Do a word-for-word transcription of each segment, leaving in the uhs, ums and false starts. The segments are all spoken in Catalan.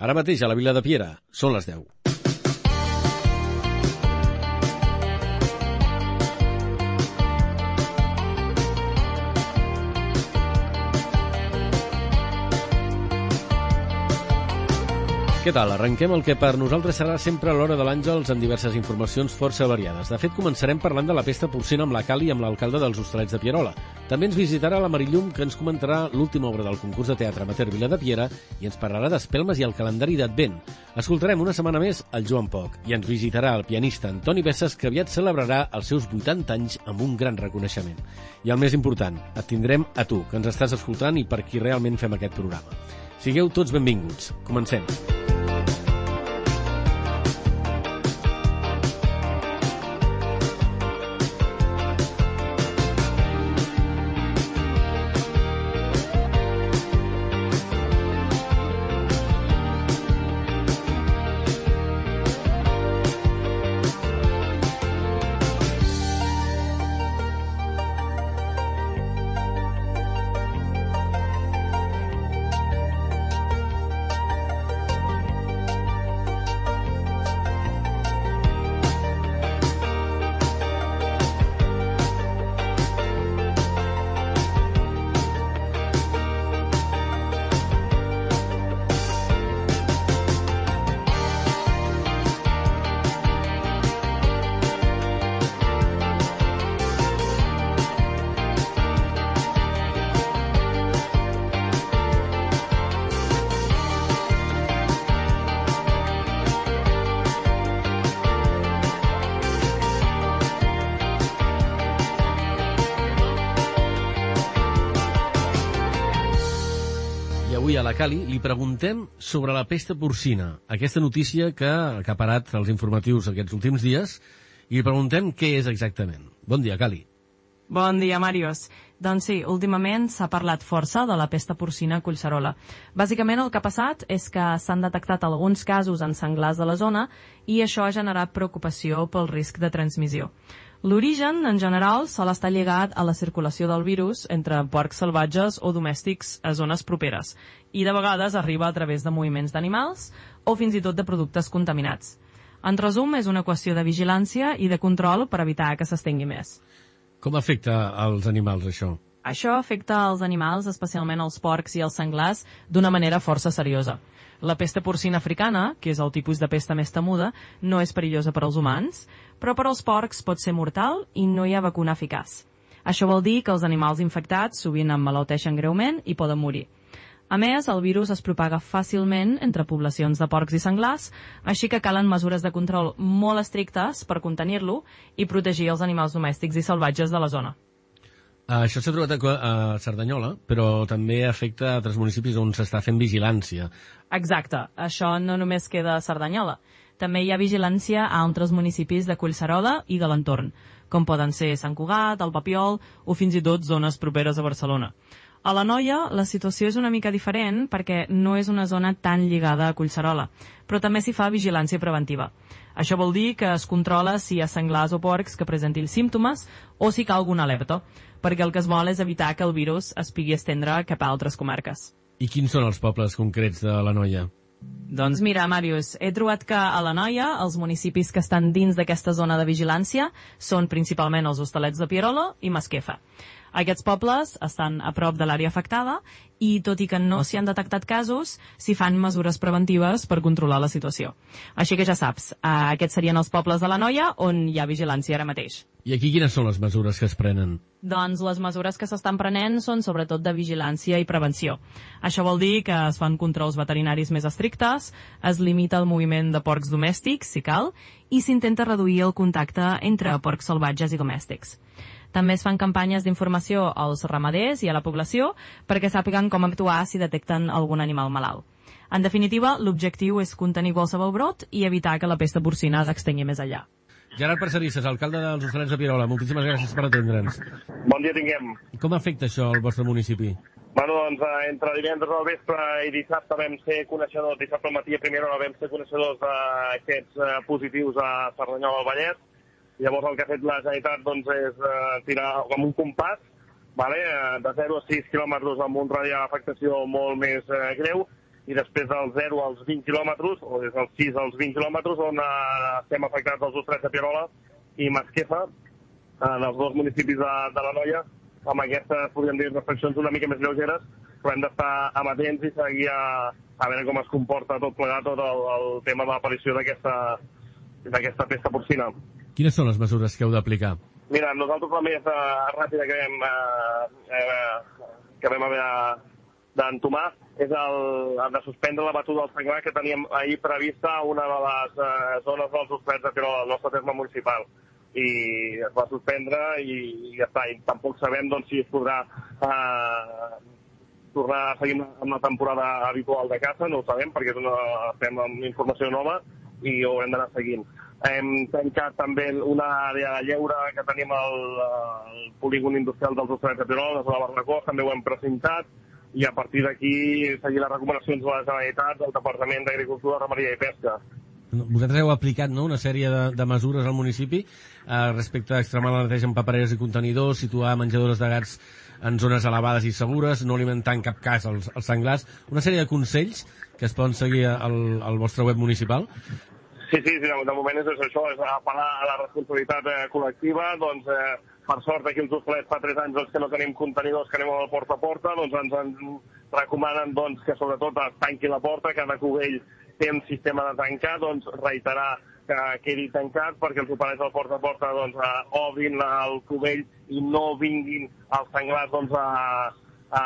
Ara mateix a la Vila de Piera són les deu. Què tal? Arrenquem el que per nosaltres serà sempre l'hora de l'Àngels amb diverses informacions força variades. De fet, començarem parlant de la pesta porcina amb la Cali i amb l'alcalde dels Hostalets de Pierola. També ens visitarà la Marillum, que ens comentarà l'última obra del concurs de teatre amateur Vila de Piera i ens parlarà d'espelmes i el calendari d'Advent. Escoltarem una setmana més el Joan Poc i ens visitarà el pianista Antoni Bessas, que aviat celebrarà els seus vuitanta anys amb un gran reconeixement. I el més important, et tindrem a tu, que ens estàs escoltant i per qui realment fem aquest programa. Sigueu tots benvinguts. Comencem. Avui a la Cali li preguntem sobre la pesta porcina, aquesta notícia que ha acaparat els informatius aquests últims dies, i li preguntem què és exactament. Bon dia, Cali. Bon dia, Màrius. Doncs sí, últimament s'ha parlat força de la pesta porcina a Collserola. Bàsicament el que ha passat és que s'han detectat alguns casos en senglars de la zona i això ha generat preocupació pel risc de transmissió. L'origen, en general, sol estar lligat a la circulació del virus entre porcs salvatges o domèstics a zones properes i de vegades arriba a través de moviments d'animals o fins i tot de productes contaminats. En resum, és una qüestió de vigilància i de control per evitar que s'estengui més. Com afecta als animals, això? Això afecta als animals, especialment els porcs i els senglars, d'una manera força seriosa. La pesta porcina africana, que és el tipus de pesta més temuda, no és perillosa per als humans, però per als porcs pot ser mortal i no hi ha vacuna eficaç. Això vol dir que els animals infectats sovint emmalalteixen greument i poden morir. A més, el virus es propaga fàcilment entre poblacions de porcs i senglars, així que calen mesures de control molt estrictes per contenir-lo i protegir els animals domèstics i salvatges de la zona. Això s'ha trobat a Cerdanyola, però també afecta a altres municipis on s'està fent vigilància. Exacte, això no només queda a Cerdanyola. També hi ha vigilància a altres municipis de Collserola i de l'entorn, com poden ser Sant Cugat, el Papiol o fins i tot zones properes a Barcelona. A l'Anoia la situació és una mica diferent perquè no és una zona tan lligada a Collserola, però també s'hi fa vigilància preventiva. Això vol dir que es controla si hi ha senglars o porcs que presentin símptomes o si cal alguna alerta, perquè el que es vol és evitar que el virus es pugui estendre cap a altres comarques. I quins són els pobles concrets de l'Anoia? Doncs mira, Màrius, he trobat que a l'Anoia els municipis que estan dins d'aquesta zona de vigilància són principalment els Hostalets de Pierola i Masquefa. Aquests pobles estan a prop de l'àrea afectada i, tot i que no s'hi han detectat casos, s'hi fan mesures preventives per controlar la situació. Així que ja saps, aquests serien els pobles de l'Anoia on hi ha vigilància ara mateix. I aquí quines són les mesures que es prenen? Doncs les mesures que s'estan prenent són sobretot de vigilància i prevenció. Això vol dir que es fan controls veterinaris més estrictes, es limita el moviment de porcs domèstics, si cal, i s'intenta reduir el contacte entre porcs salvatges i domèstics. També es fan campanyes d'informació als ramaders i a la població perquè sàpiguen com actuar si detecten algun animal malalt. En definitiva, l'objectiu és contenir qualsevol brot i evitar que la pesta porcina s'estengui més enllà. Gerard Parcerisses, alcalde dels Hostalets de Pierola, moltíssimes gràcies per atendre'ns. Bon dia tinguem. Com afecta això al vostre municipi? Bueno, doncs, entre divendres al vespre i dissabte vam ser coneixedors, dissabte al matí a primera hora vam ser coneixedors d'aquests uh, positius a Cerdanyola del Vallès. Llavors el que ha fet la Generalitat doncs, és uh, tirar com un compàs, vale? uh, de zero a sis quilòmetres amb un radi d'afectació molt més uh, greu, i després dels zero als vint quilòmetres, o des dels sis als vint quilòmetres, on eh, estem afectats els Hostalets de Pierola i Masquefa, en els dos municipis de, de l'Anoia, amb aquestes, podríem dir, reflexions una mica més lleugeres, però hem d'estar amatents i seguir a, a veure com es comporta tot plegat, tot el, el tema de l'aparició d'aquesta d'aquesta pesta porcina. Quines són les mesures que heu d'aplicar? Mira, nosaltres la més uh, ràpida que vam, uh, uh, que vam haver d'entomar és el, el de suspendre la batuda del senglar que teníem ahir prevista a una de les uh, zones dels Hostalets de Pierola, del nostre terme municipal. I es va suspendre i, i ja està. I tampoc sabem doncs, si es podrà uh, tornar a seguir amb la temporada habitual de caça, no ho sabem perquè és una, estem amb informació nova i ho haurem d'anar seguint. Hem tancat també una àrea de lleure que tenim al, al polígon industrial dels Hostalets de Pierola, de la Barracós, també ho hem precintat, i a partir d'aquí seguir les recomanacions de la Generalitat, del Departament d'Agricultura, Ramaderia i Pesca. Vosaltres heu aplicat, no?, una sèrie de, de mesures al municipi eh, respecte a extremar la neteja en papereres i contenidors, situar menjadores de gats en zones elevades i segures, no alimentar en cap cas els, els senglars, una sèrie de consells que es poden seguir al, al vostre web municipal. Sí, sí, sí, de moment és això, és apel·lar a la responsabilitat eh, col·lectiva. Doncs, eh, per sort, aquí els Hostalets fa tres anys doncs, que no tenim contenidors, que anem al porta a porta, doncs ens, ens recomanen doncs, que sobretot es tanqui la porta, cada cubell té un sistema de tancar, doncs reiterar que quedi tancat perquè els operants del porta a porta doncs, eh, obrin el cubell i no vinguin els senglars doncs, a, a,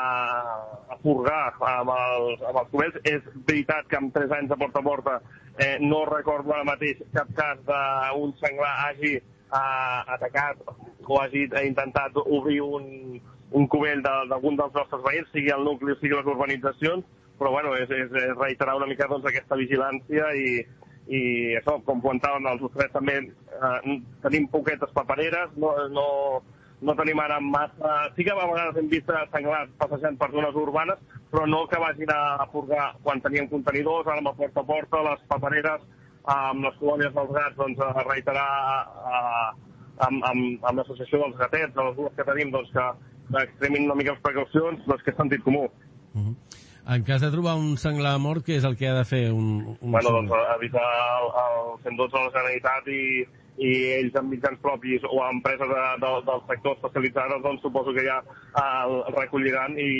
a furgar amb els, amb els cubells. És veritat que en tres anys de porta a porta eh, no recordo ara mateix cap cas d'un senglar hagi eh, atacat o hagi intentat obrir un, un cubell d'algun dels nostres veïns, sigui el nucli o sigui les urbanitzacions, però bueno, és, és, és reiterar una mica doncs, aquesta vigilància i, i això, com comentàvem, els Hostalets també eh, tenim poquetes papereres, no, no, no tenim ara massa... Sí que a vegades hem vist senglars passejant per zones urbanes, però no que vagin a furgar quan teníem contenidors, ara amb el porta a porta, les papereres, amb les colònies dels gats, doncs a reiterar a, amb, amb, amb l'associació dels gatets, de les dues que tenim, doncs que extremin una mica les precaucions, doncs que és sentit comú. Uh-huh. En cas de trobar un senglar mort, què és el que ha de fer un, un bueno, doncs avisar el, el cent dotze a la Generalitat i, i ells amb mitjans propis o empreses de, de, del sector especialitzades, doncs suposo que ja el recolliran i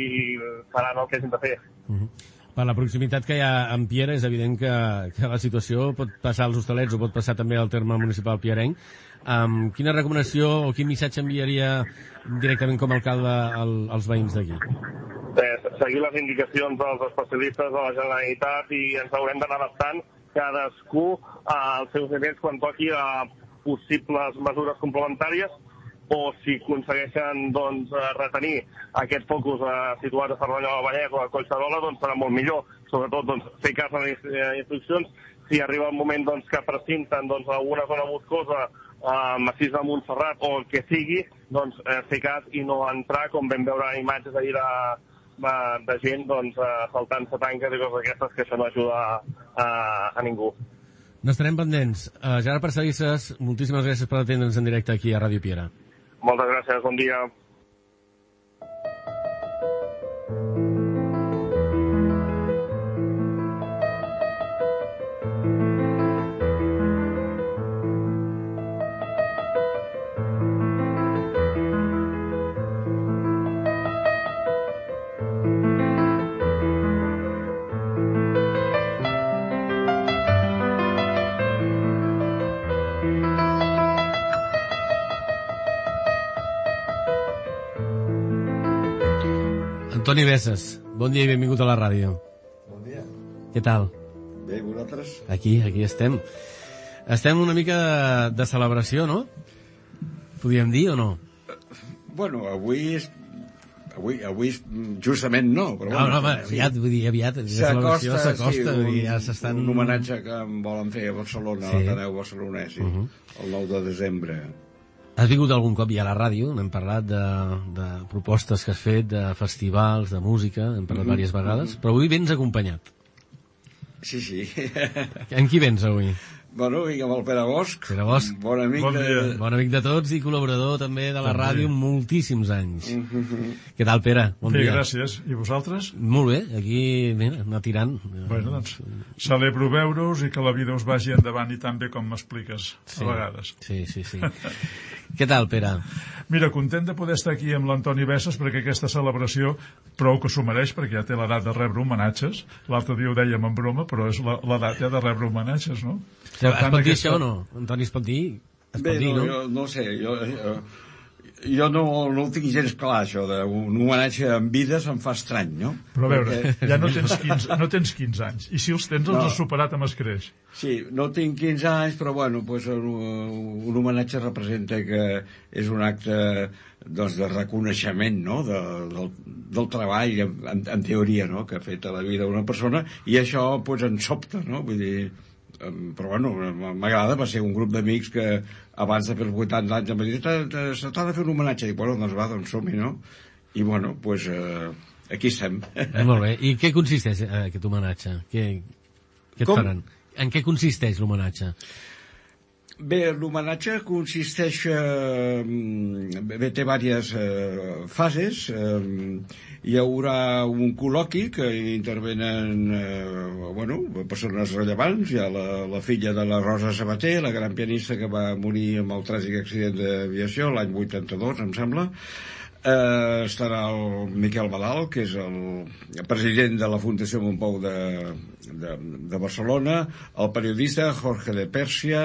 faran el que hagin de fer. Uh-huh. Per la proximitat que hi ha amb Piera, és evident que, que la situació pot passar als Hostalets o pot passar també al terme municipal pierenc. Um, quina recomanació o quin missatge enviaria directament com a alcalde al, als veïns d'aquí? Eh, seguir les indicacions dels especialistes de la Generalitat i ens haurem d'anar adaptant cadascú als seus nivells quan toqui a possibles mesures complementàries o si aconsegueixen doncs, retenir aquest focus eh, situat a Cerdanyola del Vallès o a Collserola, doncs serà molt millor. Sobretot doncs, fer cas a les instruccions. Si arriba el moment doncs, que precinten doncs, alguna zona boscosa, eh, massís de Montserrat o el que sigui, doncs eh, fer cas i no entrar, com vam veure imatges ahir de, de gent doncs, saltant-se tanques i coses d'aquestes, que això no ajuda a, a, a ningú. N'estarem pendents. Uh, Gerard Parcelisses, moltíssimes gràcies per atendre'ns en directe aquí a Ràdio Piera. Moltes gràcies, bon dia. Toni Besses, bon dia i benvingut a la ràdio. Bon dia. Què tal? Bé, vosaltres? Aquí, aquí estem. Estem una mica de, de celebració, no? Podríem dir o no? Bueno, avui és... Avui, avui justament no, però no, bueno... No, home, aviat, vull dir, aviat. S'acosta, sí, un, ja s'estan... un homenatge que em volen fer a Barcelona, sí. A l'Ateneu barcelonès, sí, uh -huh. El nou de desembre. Has vingut algun cop ja a la ràdio, n'hem parlat de, de propostes que has fet, de festivals, de música, hem parlat mm -hmm. diverses vegades, però avui vens acompanyat. Sí, sí. En qui vens avui? Bueno, vinc amb el Pere Bosch. Pere Bosch. Bon amic, bon de... bon amic de tots i col·laborador també de la també. Ràdio moltíssims anys. Mm-hmm. Què tal, Pere? Bon Bé, dia. Gràcies. I vosaltres? Molt bé, aquí, mira, anar tirant. Bueno, doncs, celebro veure-us i que la vida us vagi endavant i tan bé com m'expliques, sí. a vegades. Sí, sí, sí. Què tal, Pere? Mira, content de poder estar aquí amb l'Antoni Bessas perquè aquesta celebració prou que s'ho mereix perquè ja té l'edat de rebre homenatges. L'altre dia ho dèiem en broma, però és l'edat ja de rebre homenatges, no? Sí, es pot dir aquesta... això o no? Antoni, es pot dir? Es Bé, pot dir, no, no? Jo, no sé, jo, jo, jo no, no ho tinc gens clar, això d'un homenatge en vida se'm fa estrany, no? Però a veure, Perquè... ja no tens, quinze, no tens quinze anys, i si els tens els no. has superat amb escreix. Sí, no tinc quinze anys, però bueno, pues, un, un homenatge representa que és un acte doncs, de reconeixement, no?, de, del, del treball, en, en teoria, no?, que ha fet a la vida una persona, i això pues, ens sobta, no?, vull dir... però bueno, m'agrada, va ser un grup d'amics que abans de fer els vuitanta anys em va dir, se t'ha de fer un homenatge, i bueno, doncs va, doncs som-hi, no? I bueno, doncs pues, eh, aquí estem. Molt bé, i què consisteix eh, aquest homenatge? Què, què et Com? faran? En què consisteix l'homenatge? Bé, l'homenatge consisteix... Eh, bé, té diverses eh, fases. Eh, hi haurà un col·loqui que hi intervenen eh, bueno, persones rellevants. Hi ha la, la filla de la Rosa Sabater, la gran pianista que va morir amb el tràgic accident d'aviació l'any vuitanta-dos, em sembla. Eh, estarà el Miquel Badal, que és el president de la Fundació Montpou de, de, de Barcelona, el periodista Jorge de Pèrsia,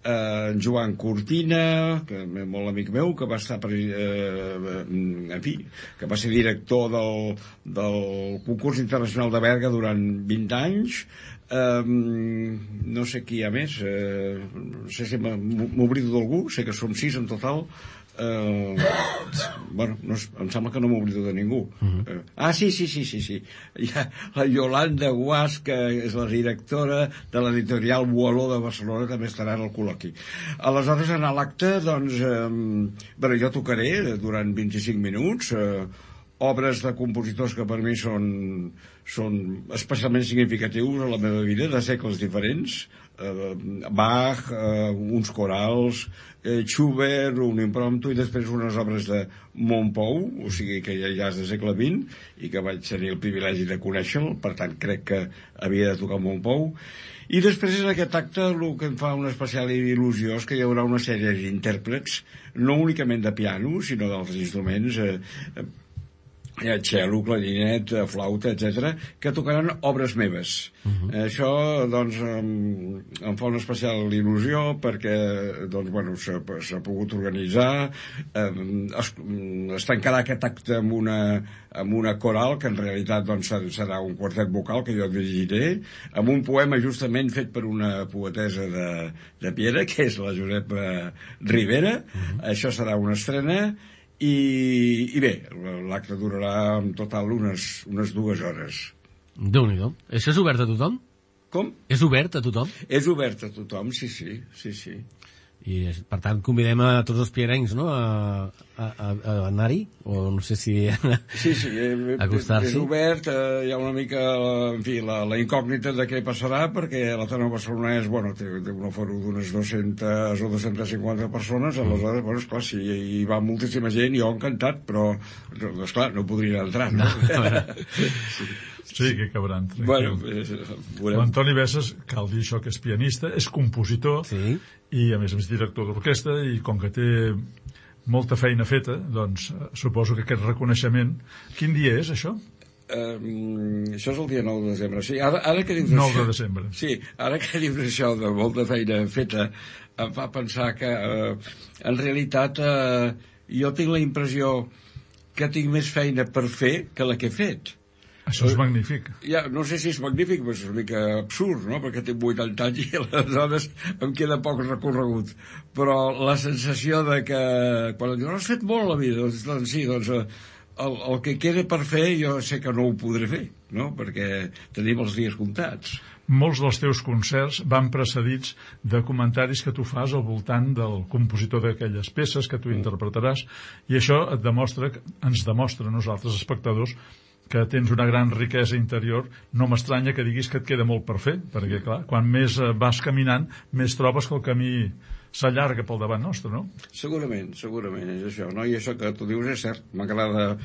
eh, Joan Cortina, que és molt amic meu, que va estar eh, en fi, que va ser director del, del concurs internacional de Berga durant vint anys. Um, no sé qui hi ha més, uh, no sé si m'oblido d'algú, sé que som sis en total. Uh, bueno, no, em sembla que no m'oblido de ningú. Uh-huh. uh, ah, sí, sí, sí, sí, sí. Hi ha la Yolanda Guas, que és la directora de l'editorial Boaló de Barcelona, també estarà en el col·loqui. Aleshores, en l'acte, doncs, um, bueno, jo tocaré durant vint-i-cinc minuts, uh, obres de compositors que per mi són, són especialment significatius a la meva vida, de segles diferents. Eh, Bach, eh, uns corals, eh, Schubert, un impromptu, i després unes obres de Montpou, o sigui que ja, ja és de segle vint, i que vaig tenir el privilegi de conèixer-lo, per tant crec que havia de tocar Montpou. I després en aquest acte el que em fa una especial il·lusió és que hi haurà una sèrie d'intèrprets, no únicament de piano, sinó d'altres instruments, eh, cello, clarinet, flauta, etcètera, que tocaran obres meves. Uh-huh. Això, doncs, em, em fa una especial il·lusió perquè, doncs, bueno, s'ha, s'ha pogut organitzar, eh, es, es tancarà aquest acte amb una, amb una coral, que en realitat, doncs, serà un quartet vocal que jo dirigiré, amb un poema justament fet per una poetessa de, de Piera, que és la Josepa Rivera. Uh-huh. Això serà una estrena. I, i bé, l'acte durarà en total unes, unes dues hores. Déu-n'hi-do. Això és obert a tothom? Com? És obert a tothom? És obert a tothom, sí, sí, sí, sí. I, per tant, convidem a tots els pierencs, no?, a, a, a anar-hi, o no sé si sí, sí, acostar-s'hi. És obert, eh, hi ha una mica, en fi, la, la incògnita de què passarà, perquè l'Ateneu Barcelonès, bueno, té, té un aforo d'unes dues-centes o dues-centes cinquanta persones, aleshores, bueno, esclar, si hi va moltíssima gent, jo encantat, però, esclar, no podria entrar, no? sí. Sí, que cabran, tranquil. Bueno, l'Antoni Bessas, cal dir això, que és pianista, és compositor, sí. I a més a més director d'orquestra, i com que té molta feina feta, doncs suposo que aquest reconeixement... Quin dia és, això? Um, això és el dia nou de desembre. Sí, ara, ara que dius nou això, de desembre. Sí, ara que dius això de molta feina feta, em fa pensar que, uh, en realitat, uh, jo tinc la impressió que tinc més feina per fer que la que he fet. Això és magnífic. Ja, no sé si és magnífic, però és una mica absurd, no?, perquè tinc vuitanta anys i aleshores em queda poc recorregut. Però la sensació de que, quan em diuen, has fet molt a la vida, doncs, doncs sí, doncs el, el que queda per fer jo sé que no ho podré fer, no?, perquè tenim els dies comptats. Molts dels teus concerts van precedits de comentaris que tu fas al voltant del compositor d'aquelles peces que tu interpretaràs, i això et demostra, ens demostra a nosaltres, espectadors, que tens una gran riquesa interior, no m'estranya que diguis que et queda molt per fer, perquè, clar, quan més vas caminant, més trobes que el camí s'allarga pel davant nostre, no? Segurament, segurament, és això, no? I això que tu dius és cert, m'agrada,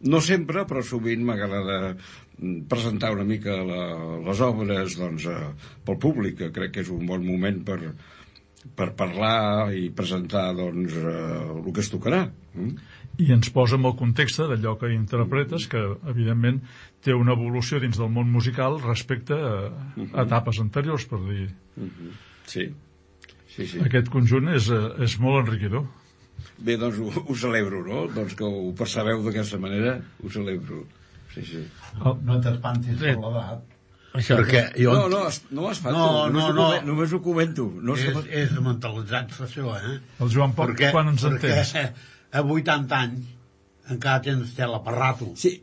no sempre, però sovint m'agrada presentar una mica la, les obres, doncs, eh, pel públic, que crec que és un bon moment per, per parlar i presentar, doncs, eh, el que es tocarà. Mm? I ens posa en el context d'allò que interpretes, que, evidentment, té una evolució dins del món musical respecte a, a etapes anteriors, per dir. Mm-hmm. Sí. Sí, sí. Aquest conjunt és, és molt enriquidor. Bé, doncs ho, ho celebro, no? Doncs que ho percebeu d'aquesta manera, ho celebro. Sí, sí. No, no t'espantis per l'edat. Això, perquè jo... No, no, no m'espanto, no, només, no, ho no. comento, només ho comento. No és, sé... és mentalitzar-se això, eh? El Joan Pop, perquè, quan ens entens? Perquè a vuitanta anys encara tens tela per rato. Sí.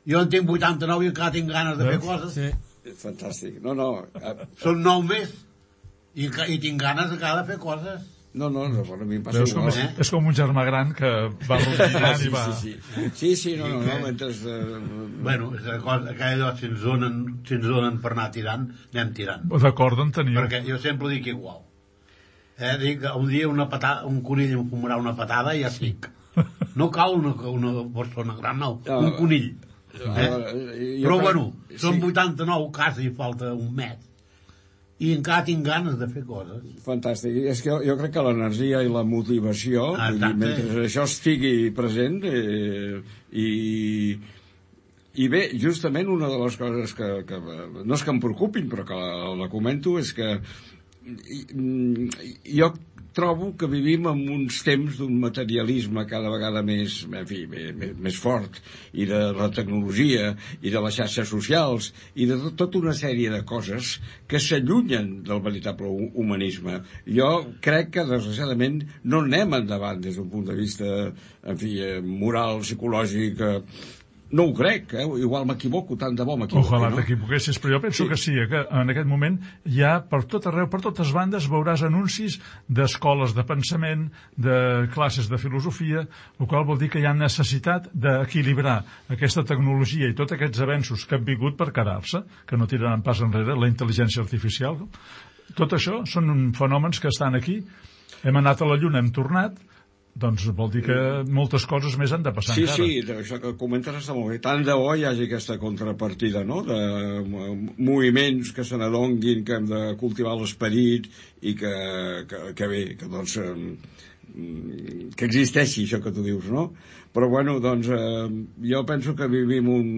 Jo en tinc vuitanta-nou i encara tinc ganes de fer coses. Sí. Fantàstic. No, no... Són nou més. I, i tinc ganes encara de fer coses. No, no, no, a mi em passa Veus com igual. és, eh? és com un germà gran que va rotinant Sí, i va... sí, sí. Sí, sí, no, no, no, mentre... Eh, Bueno, és una cosa, aquella si ens donen, si ens donen per anar tirant, anem tirant. D'acord en teniu. Perquè jo sempre dic igual. Eh, dic, un dia una patada, un conill em fumarà una patada i ja estic. No cal una, una persona gran, no, un conill. Eh? Però bueno, són vuitanta-nou, quasi falta un mes. I encara tinc ganes de fer coses. Fantàstic. És que jo, jo crec que l'energia i la motivació, Ah, vull dir, mentre això estigui present, eh, i, i bé, justament una de les coses que, que no és que em preocupin, però que la, la comento, és que jo trobo que vivim en uns temps d'un materialisme cada vegada més, en fi, més, més fort, i de la tecnologia, i de les xarxes socials, i de tot, tota una sèrie de coses que s'allunyen del veritable humanisme. Jo crec que, desgraciadament, no anem endavant des d'un punt de vista, en fi, moral, psicològic. No ho crec, eh? Igual m'equivoco, tant de bo m'equivoco. Ojalà no? t'equivoquessis, però jo penso Sí. que sí, eh, que en aquest moment ja per tot arreu, per totes bandes, veuràs anuncis d'escoles de pensament, de classes de filosofia, el qual vol dir que hi ha necessitat d'equilibrar aquesta tecnologia i tots aquests avenços que han vingut per quedar-se, que no tiraran pas enrere, la intel·ligència artificial. Tot això són fenòmens que estan aquí. Hem anat a la Lluna, hem tornat, doncs vol dir que moltes coses més han de passar sí, encara. Sí, sí, això que comentes està molt bé. Tant de bo hi hagi aquesta contrapartida, no?, de moviments que se n'adonguin que hem de cultivar l'esperit i que, que, que bé, que doncs que existeixi això que tu dius, no? Però bueno, doncs eh, jo penso que vivim un,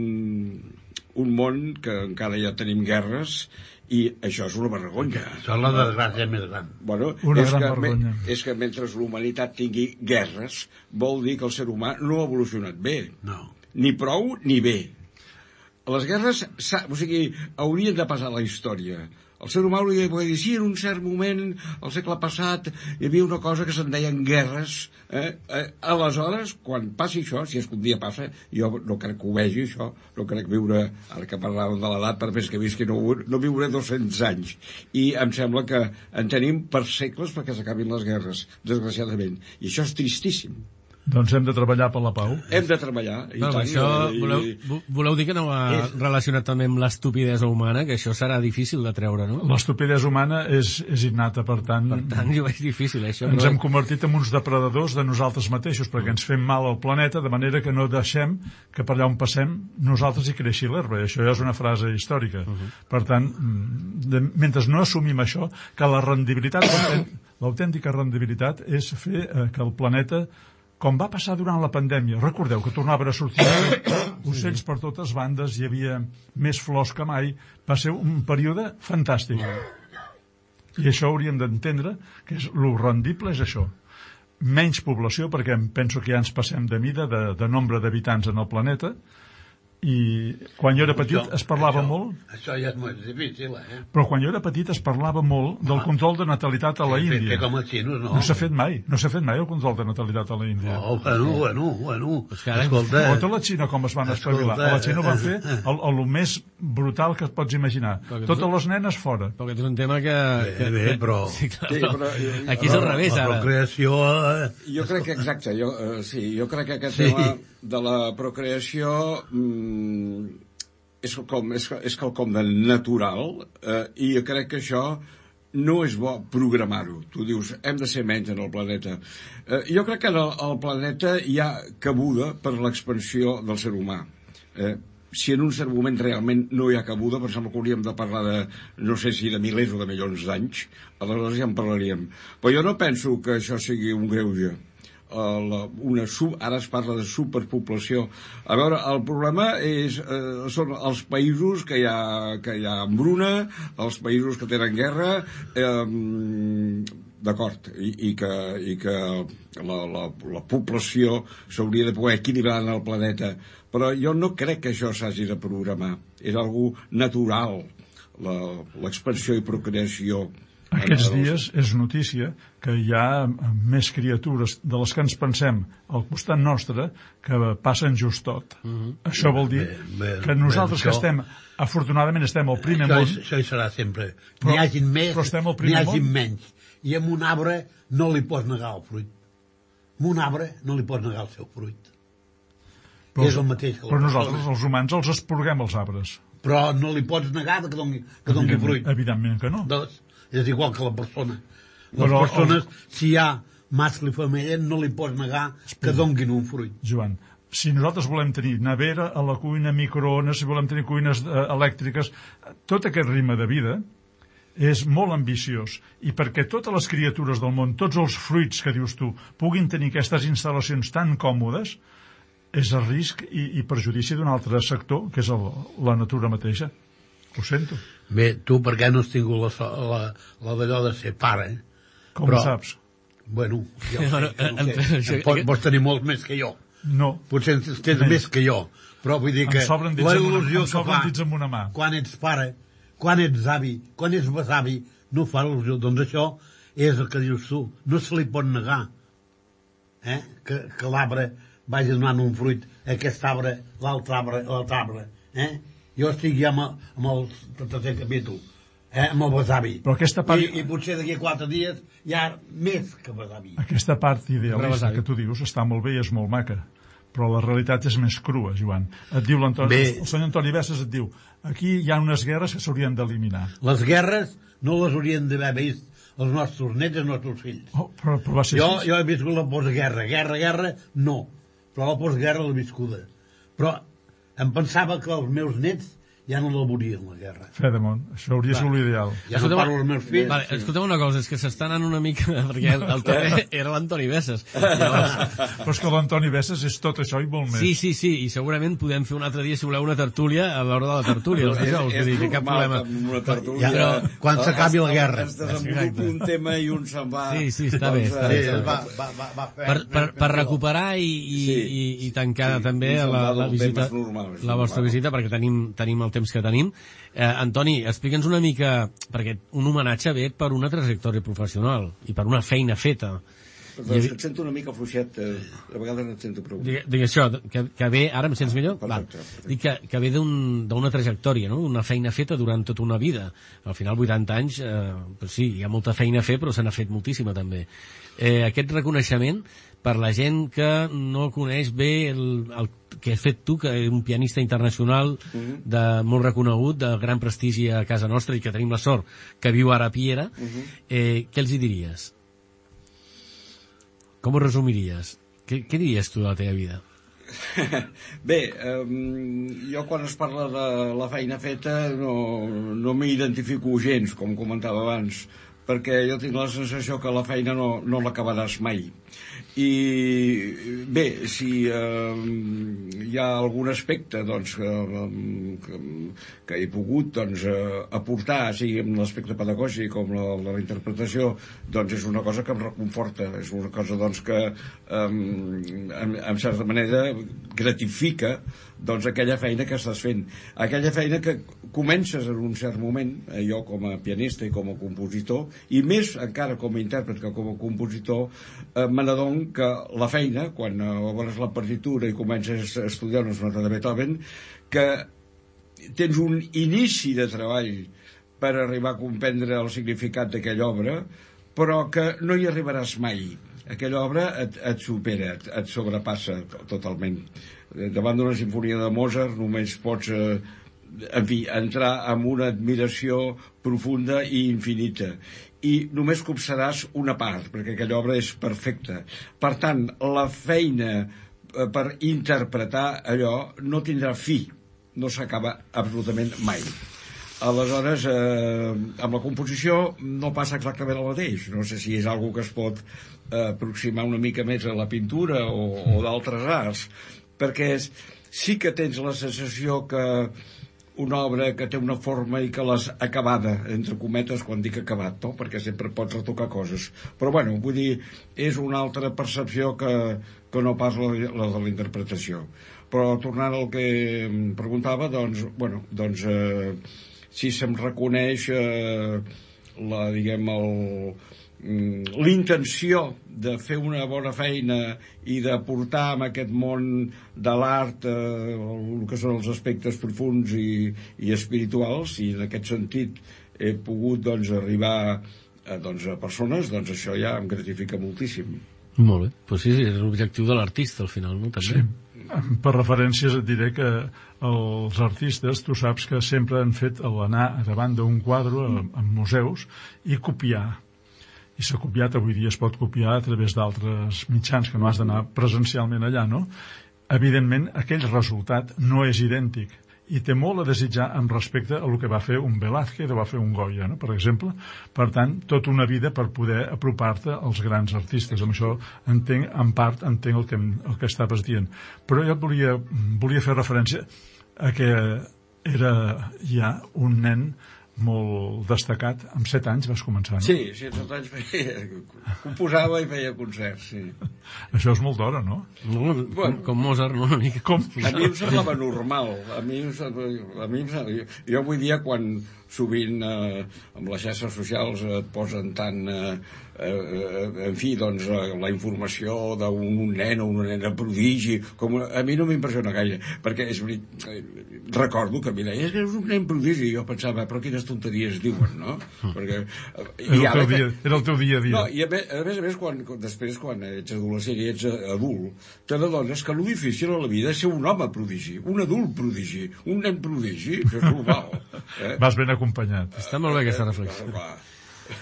un món que encara ja tenim guerres i això és una vergonya. Això és la desgràcia més gran. Bueno, Una és, gran que, vergonya. me, és que mentre l'humanitat tingui guerres vol dir que el ser humà no ha evolucionat bé. No. Ni prou ni bé. Les guerres, o sigui, haurien de passar a la història. El ser humà hauria de poder dir, sí, en un cert moment, al segle passat, hi havia una cosa que se'n deien guerres. Eh? Eh, aleshores, quan passi això, si és que un dia passa, jo no crec que ho vegi, això, no crec viure, ara que parlàvem de l'edat, per més que visqui, no, no viuré dos-cents anys. I em sembla que en tenim per segles perquè s'acabin les guerres, desgraciadament. I això és tristíssim. Doncs hem de treballar per la pau. Hem de treballar. I No, tant, això i... voleu, voleu dir que no va És- relacionat també amb l'estupidesa humana, que això serà difícil de treure, no? L'estupidesa humana és, és innata, per tant, Per tant, jo veig difícil, això. ens però- hem convertit en uns depredadors de nosaltres mateixos, perquè ens fem mal al planeta, de manera que no deixem que per allà on passem nosaltres hi creixi l'herba. I això ja és una frase històrica. Uh -huh. Per tant, de, mentre no assumim això, que la rendibilitat, l'autèntica rendibilitat és fer eh, que el planeta, com va passar durant la pandèmia, recordeu que tornaven a sortir ocells per totes bandes, hi havia més flors que mai, va ser un període fantàstic. I això hauríem d'entendre, que és, lo rendible és això. Menys població, perquè em penso que ja ens passem de mida, de, de nombre d'habitants en el planeta, i quan jo era petit Això- es parlava això, molt, Això ja és molt difícil, eh? però quan jo era petit es parlava molt del control de natalitat a la Fer- fer Índia. com els xinos, no? No s'ha fet mai, no s'ha fet mai el control de natalitat a la Índia. Oh, bueno, bueno, bueno. Pues que ara- Escolta, Tota la Xina com es van espavilar. A la Xina ho van fer el, el, el més brutal que et pots imaginar. Perquè Totes tu- les nenes fora. Perquè és un tema que... que bé, però- Sí, clar, Sí, però... però- Aquí és al revés, la ara. procreació... Eh, Jo crec que exacte, jo, eh, sí, jo crec que aquest Sí. tema de la procreació mm, és quelcom, és, és quelcom de natural, eh, i jo crec que això no és bo programar-ho. Tu dius, hem de ser menys en el planeta. Eh, jo crec que en el, el planeta hi ha cabuda per l'expansió del ser humà. Eh, si en un cert moment realment no hi ha cabuda, per exemple que hauríem de parlar de, no sé si de milers o de milions d'anys, aleshores ja en parlaríem. Però jo no penso que això sigui un greuge. Uh, la, una sub, ara es parla de superpoblació. A veure, el problema és, eh, són els països que hi ha, que hi ha hambruna, els països que tenen guerra, eh, d'acord, i, i que, i que la, la, la població s'hauria de poder equilibrar en el planeta, però jo no crec que això s'hagi de programar. És algo natural, l'expansió i procreació. Aquests dies és notícia que hi ha més criatures de les que ens pensem al costat nostre que passen just tot. Mm-hmm. Això vol dir bé, bé, que nosaltres bé, que estem, afortunadament estem al primer això, món... Això hi serà sempre. N'hi hagin més, n'hi hagin menys. I amb un arbre no li pots negar el fruit. Amb un arbre no li pots negar el seu fruit. Però, és el mateix que però nosaltres, els humans, els esporguem els arbres. Però no li pots negar que doni, que doni fruit. Evidentment que no. Doncs, és igual que la persona. Les però, persones, el... si hi ha mascle i femella, no li pots negar que donguin un fruit. Joan, si nosaltres volem tenir nevera a la cuina, microones, si volem tenir cuines eh, elèctriques, tot aquest ritme de vida és molt ambiciós. I perquè totes les criatures del món, tots els fruits que dius tu, puguin tenir aquestes instal·lacions tan còmodes, és el risc i, i perjudici d'un altre sector, que és el, la natura mateixa. Ho sento. Bé, tu per què no has tingut la, la, la d'allò de ser pare? Com Però, ho saps? Bueno, ja ho sé, no sé. Pots, pots tenir molts més que jo. No. Potser tens més que jo. Però vull dir que la il·lusió que fa amb una mà. Quan ets pare, quan ets avi, quan ets besavi, no fa il·lusió. Doncs això és el que dius tu. No se li pot negar eh? que, que l'arbre vagi donant un fruit, aquest arbre, l'altre arbre, l'altre arbre. Eh? Jo estic ja amb, amb el tercer capítol, eh, amb el besavi. Però aquesta part... I, I potser d'aquí quatre dies hi ha més que besavi. Aquesta part idealista que tu dius està molt bé i és molt maca, però la realitat és més crua, Joan. Et diu l'Antoni, el senyor Antoni Bessas et diu, aquí hi ha unes guerres que s'haurien d'eliminar. Les guerres no les haurien d'haver vist els nostres nets i els nostres fills. Oh, però, però va ser jo, jo he viscut la postguerra. Guerra, guerra, no. Però la postguerra l'he viscuda. Però em pensava que els meus nets ja no la volien, la guerra. Fedemont, això hauria sigut l'ideal. Ja no parlo dels meus fills. Vale, escolteu una cosa, és que s'està anant una mica... Perquè el, el Toni era l'Antoni Bessas. Llavors... Però és que l'Antoni Bessas és tot això i molt més. Sí, sí, sí, i segurament podem fer un altre dia, si voleu, una tertúlia a l'hora de la tertúlia. Els dijous, és, és, és cap problema. Una tertúlia, ja, però, quan s'acabi la guerra. Es desenvolupa un tema i un se'n va... Sí, sí, està bé. Està bé, està bé. Va, va, va, va fer, per, per, per recuperar i, i, sí, i, i tancar sí, també la, la visita, normal, la vostra visita, perquè tenim, tenim el temps que tenim. Eh, Antoni, explica'ns una mica, perquè un homenatge ve per una trajectòria professional i per una feina feta. Perdó, és que et sento una mica fluixet, eh, a vegades no et sento prou. Digue, digue això, que, que ve, ara em sents millor? Perfecte, perfecte. Dic que, que ve d'una un, trajectòria, no? Una feina feta durant tota una vida. Al final, vuitanta anys, eh, pues sí, hi ha molta feina a fer, però se n'ha fet moltíssima també. Eh, aquest reconeixement, per la gent que no coneix bé el, el que has fet tu, que és un pianista internacional uh-huh. de molt reconegut, de gran prestigi a casa nostra i que tenim la sort que viu ara a Piera, uh-huh. eh, què els hi diries? Com ho resumiries? Què, què diries tu de la teva vida? Bé, um, jo quan es parla de la feina feta no, no m'identifico gens, com comentava abans, perquè jo tinc la sensació que la feina no, no l'acabaràs mai. I bé, si eh, hi ha algun aspecte doncs, que, que, que he pogut doncs, eh, aportar, sigui en l'aspecte pedagògic com la, la interpretació, doncs és una cosa que em reconforta, és una cosa doncs, que eh, en, en certa manera gratifica doncs, aquella feina que estàs fent, aquella feina que comences en un cert moment, eh, jo com a pianista i com a compositor, i més encara com a intèrpret que com a compositor, eh, me n'adon que la feina, quan obres la partitura i comences a estudiar una sonata de Beethoven, que tens un inici de treball per arribar a comprendre el significat d'aquella obra, però que no hi arribaràs mai. aquella obra et, et supera, et, et sobrepassa totalment. Davant d'una sinfonia de Mozart només pots eh, en fi, entrar en una admiració profunda i infinita, i només copsaràs una part, perquè aquella obra és perfecta. Per tant, la feina eh, per interpretar allò no tindrà fi, no s'acaba absolutament mai. Aleshores, eh, amb la composició no passa exactament el mateix. No sé si és algo que es pot eh, aproximar una mica més a la pintura o, o d'altres arts, perquè és, sí que tens la sensació que una obra que té una forma i que l'has acabada, entre cometes, quan dic acabat, no? Perquè sempre pots retocar coses. Però, bueno, vull dir, és una altra percepció que, que no pas la, la de la interpretació. Però, tornant al que em preguntava, doncs, bueno, doncs... Eh, si se'm reconeix eh, la, diguem, el, l'intenció de fer una bona feina i de portar en aquest món de l'art eh, el que són els aspectes profunds i, i espirituals, i en aquest sentit he pogut doncs, arribar a, doncs, a persones, doncs això ja em gratifica moltíssim. Molt bé, pues sí, sí, és l'objectiu de l'artista al final, no? També. Sí. Per referències et diré que els artistes, tu saps que sempre han fet l'anar davant d'un quadre en museus i copiar. I s'ha copiat, avui dia es pot copiar a través d'altres mitjans, que no has d'anar presencialment allà, no? Evidentment, aquell resultat no és idèntic i té molt a desitjar en respecte a el que va fer un Velázquez o va fer un Goya, no? Per exemple. Per tant, tota una vida per poder apropar-te als grans artistes. Amb això entenc, en part, entenc el que, el que estaves dient. Però jo volia, volia fer referència a que era ja un nen molt destacat. Amb set anys vas començar, no? Sí, sí, amb set anys feia, composava i feia concerts, sí. Això és molt d'hora, no? no bueno, com, com Mozart, no? Una mica. Com? A mi em semblava normal. A mi, em semblava, a mi em semblava, jo avui dia, quan sovint eh, amb les xarxes socials et posen tant eh, eh, en fi, doncs la informació d'un nen o una nena prodigi, com a mi no m'impressiona gaire, perquè és recordo que a mi deia és que és un nen prodigi, i jo pensava però quines tonteries diuen, no? Perquè, i era, el teu dia, era el teu dia a dia. No, i a més a més, a més quan, després quan ets adolescent i ets adult t'adones que el difícil a la vida és ser un home prodigi, un adult prodigi, un nen prodigi, això és normal, eh? Vas ben acompanyat. Està molt bé aquesta reflexió.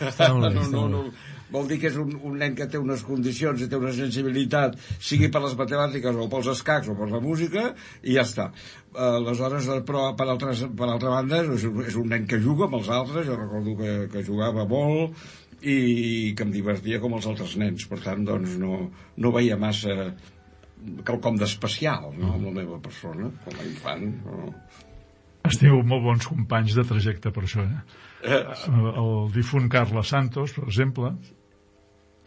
Està molt bé, no, no, no, vol dir que és un, un nen que té unes condicions i té una sensibilitat, sigui per les matemàtiques o pels escacs o per la música, i ja està. Aleshores, però per, altres, per altra banda és un, és un nen que juga amb els altres. Jo recordo que, que jugava molt i que em divertia com els altres nens, per tant doncs no, no veia massa quelcom d'especial, no?, amb la meva persona com a infant, no. Has tingut molt bons companys de trajecte per això, eh? eh. El difunt Carles Santos, per exemple.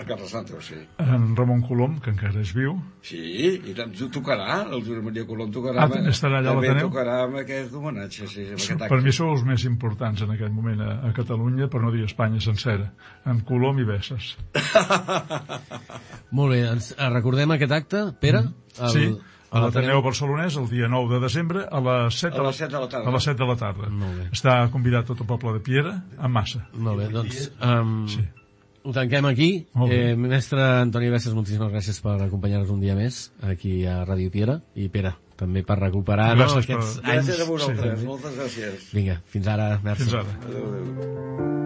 A Carles Santos, sí. En Ramon Colom, que encara és viu. Sí, i tant, tocarà, el Josep Maria Colom tocarà. Ah, estarà allà a l'Ateneu? Tocarà amb aquest homenatge, sí, amb aquest acte. Per mi sou els més importants en aquest moment a, a Catalunya, per no dir Espanya sencera. En Colom i Besses. Molt bé, ens recordem aquest acte, Pere? El... Sí. A l'Ateneu Barcelonès, el dia nou de desembre, a les set de la, de la tarda. A les set de la tarda. Està convidat tot el poble de Piera, en massa. Molt bé, doncs um, sí. Ho tanquem aquí. Eh, mestre Antoni Besses, moltíssimes gràcies per acompanyar-nos un dia més aquí a Ràdio Piera. I Pere, també per recuperar no, aquests per... anys. Gràcies a vosaltres, sí. Moltes gràcies. Vinga, fins ara. Merci. Fins ara. Adéu, adéu.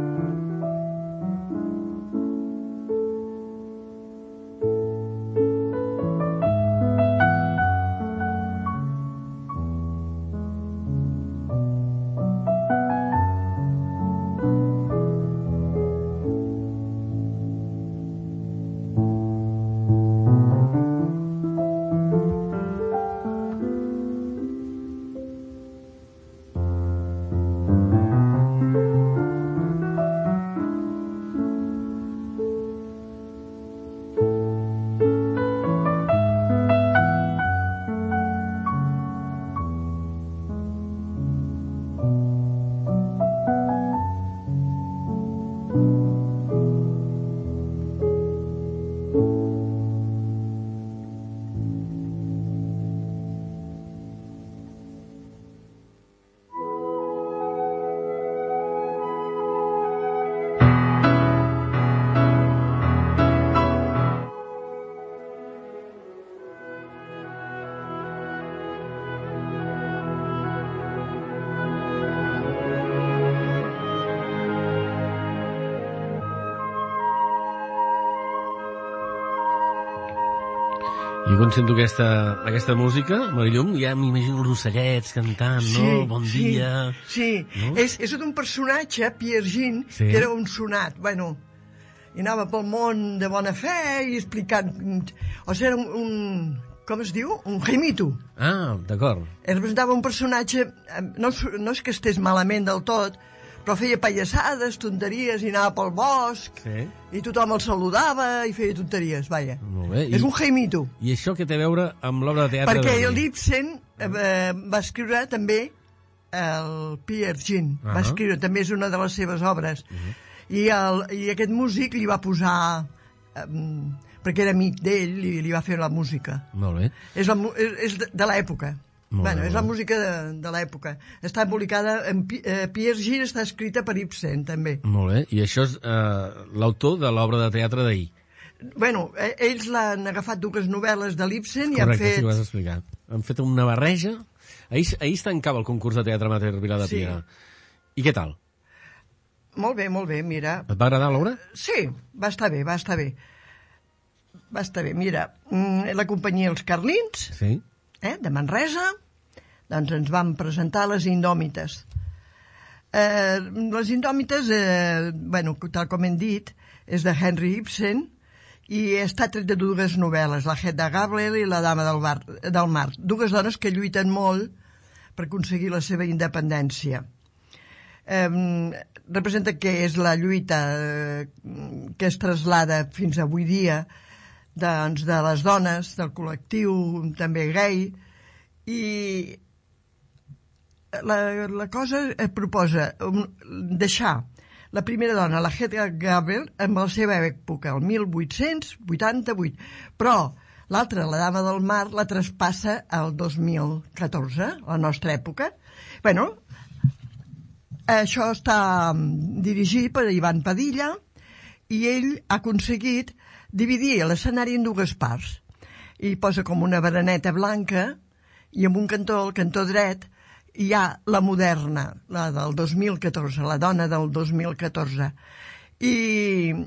I quan sento aquesta, aquesta música, Marillum, ja m'imagino els ocellets cantant, sí, no? Bon sí, dia... Sí, no? és, és un personatge, Pierre Gin, sí. que era un sonat, bueno, i anava pel món de bona fe i explicant... O sigui, era un, un com es diu? Un jaimito. Ah, d'acord. Representava un personatge, no, no és que estés malament del tot, però feia pallassades, tonteries, i anava pel bosc, sí. i tothom el saludava i feia tonteries, vaja. Molt bé. És I, un jaimito. I això què té a veure amb l'obra de teatre? Perquè de... l'Ibsen eh, va escriure també el Pierre Gin, uh -huh. va escriure, també és una de les seves obres. Uh -huh. I, el, I aquest músic li va posar... Eh, perquè era amic d'ell i li va fer la música. Molt bé. És, la, és, és de, de l'època. Bueno, és la música de, de l'època. Està publicada en eh, Pierre Gin, està escrita per Ibsen, també. Molt bé. I això és eh, l'autor de l'obra de teatre d'ahir. Bueno, eh, ells l'han agafat dues novel·les de l'Ibsen i han fet... Correcte, sí, ho has explicat. Han fet una barreja. Ahir, ahir es tancava el concurs de teatre amateur Vilar de Piera. Sí. I què tal? Molt bé, molt bé, mira. Et va agradar l'obra? Sí, va estar bé, va estar bé. Va estar bé, mira, la companyia Els Carlins, sí. eh, de Manresa, doncs ens van presentar Les Indòmites. Eh, les Indòmites, eh, bueno, tal com hem dit, és de Henry Ibsen i està tret de dues novel·les, La Hedda Gabler i La Dama del, bar, del Mar, dues dones que lluiten molt per aconseguir la seva independència. Eh, representa que és la lluita eh, que es traslada fins avui dia doncs, de les dones, del col·lectiu també gai, i la, la cosa es proposa um, deixar la primera dona, la Hedda Gabler, amb la seva època, el mil vuit-cents vuitanta-vuit, però l'altra, la Dama del Mar, la traspassa al dos mil catorze, la nostra època. Bueno, això està dirigit per Ivan Padilla i ell ha aconseguit dividir l'escenari en dues parts i posa com una baraneta blanca i en un cantó, el cantó dret, hi ha la moderna, la del dos mil catorze, la dona del dos mil catorze, i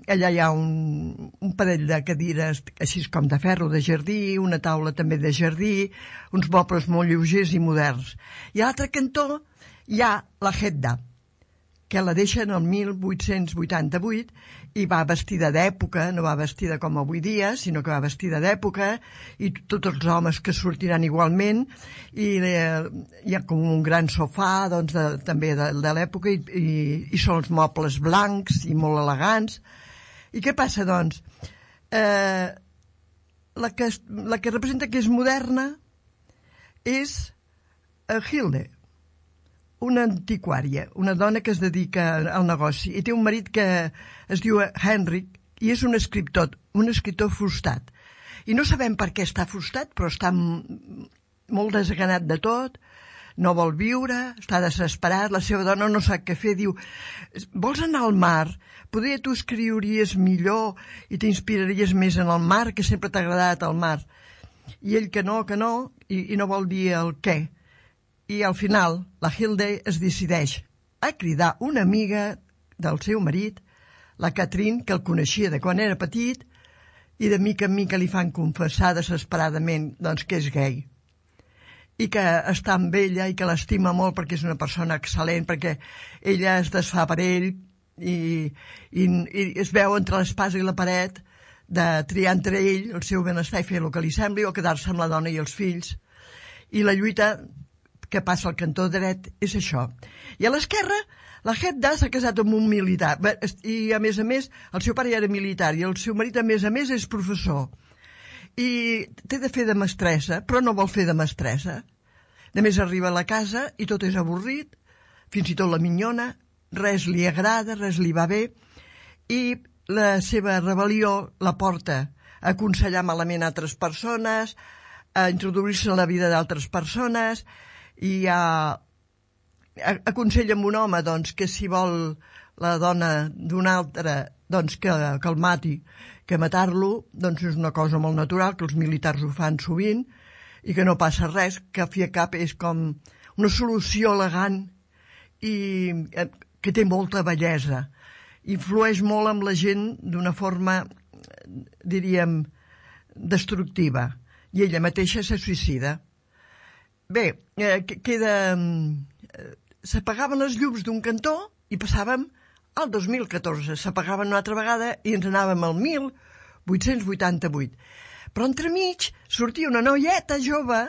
allà hi ha un, un parell de cadires així com de ferro de jardí, una taula també de jardí, uns mobles molt lleugers i moderns. I a l'altre cantó hi ha la Hedda, que la deixen el mil vuit-cents vuitanta-vuit i va vestida d'època, no va vestida com avui dia, sinó que va vestida d'època, i tots els homes que sortiran igualment, i eh, hi ha com un gran sofà doncs, de, també de, de l'època, i, i, i són els mobles blancs i molt elegants. I què passa, doncs? Eh, la, que, la que representa que és moderna és eh, Hilde, una antiquària, una dona que es dedica al negoci i té un marit que es diu Henrik i és un escriptor, un escriptor frustrat. I no sabem per què està frustrat, però està molt desganat de tot, no vol viure, està desesperat, la seva dona no sap què fer, diu, vols anar al mar? Potser tu escriuries millor i t'inspiraries més en el mar, que sempre t'ha agradat el mar. I ell que no, que no, i, i no vol dir el què. I al final, la Hilde es decideix a cridar una amiga del seu marit, la Catherine, que el coneixia de quan era petit, i de mica en mica li fan confessar desesperadament doncs, que és gai. I que està amb ella i que l'estima molt perquè és una persona excel·lent, perquè ella es desfà per ell i, i, i es veu entre l'espasa i la paret de triar entre ell el seu benestar i fer el que li sembli o quedar-se amb la dona i els fills. I la lluita que passa al cantó dret és això. I a l'esquerra, la Hedda s'ha casat amb un militar i a més a més el seu pare era militar i el seu marit a més a més és professor i té de fer de mestressa però no vol fer de mestressa. A més arriba a la casa i tot és avorrit, fins i tot la minyona, res li agrada, res li va bé i la seva rebel·lió la porta a aconsellar malament a altres persones, a introduir-se en la vida d'altres persones i a, a, aconsella amb un home doncs, que si vol la dona d'un altre doncs, que, que el mati, que matar-lo doncs, és una cosa molt natural, que els militars ho fan sovint i que no passa res, que a fi a cap és com una solució elegant i que té molta bellesa. Influeix molt amb la gent d'una forma, diríem, destructiva. i ella mateixa se suïcida. Bé, eh, queda... Eh, s'apagaven les llums d'un cantó i passàvem al dos mil catorze. S'apagaven una altra vegada i ens anàvem al mil vuit-cents vuitanta-vuit. Però entremig sortia una noieta jove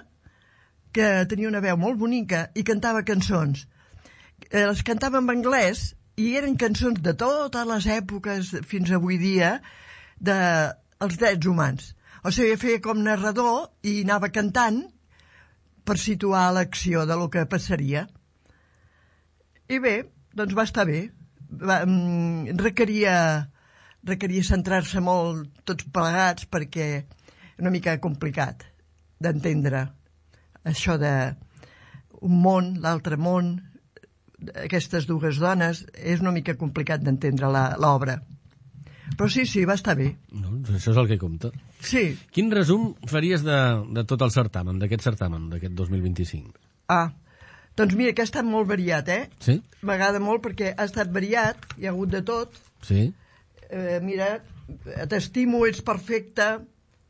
que tenia una veu molt bonica i cantava cançons. Eh, les cantava en anglès i eren cançons de totes les èpoques fins avui dia dels drets humans. O sigui, feia com narrador i anava cantant per situar l'acció de lo que passaria. I bé, doncs va estar bé. Va, mm, requeria, requeria centrar-se molt tots plegats perquè una mica complicat d'entendre això de un món, l'altre món, aquestes dues dones, és una mica complicat d'entendre l'obra. Però sí, sí, va estar bé. Doncs això és el que compta. Sí. Quin resum faries de, de tot el certamen, d'aquest certamen, d'aquest dos mil vint-i-cinc? Ah, doncs mira, que ha estat molt variat, eh? Sí? M'agrada molt perquè ha estat variat, hi ha hagut de tot. Sí? Eh, mira, t'estimo, ets perfecta,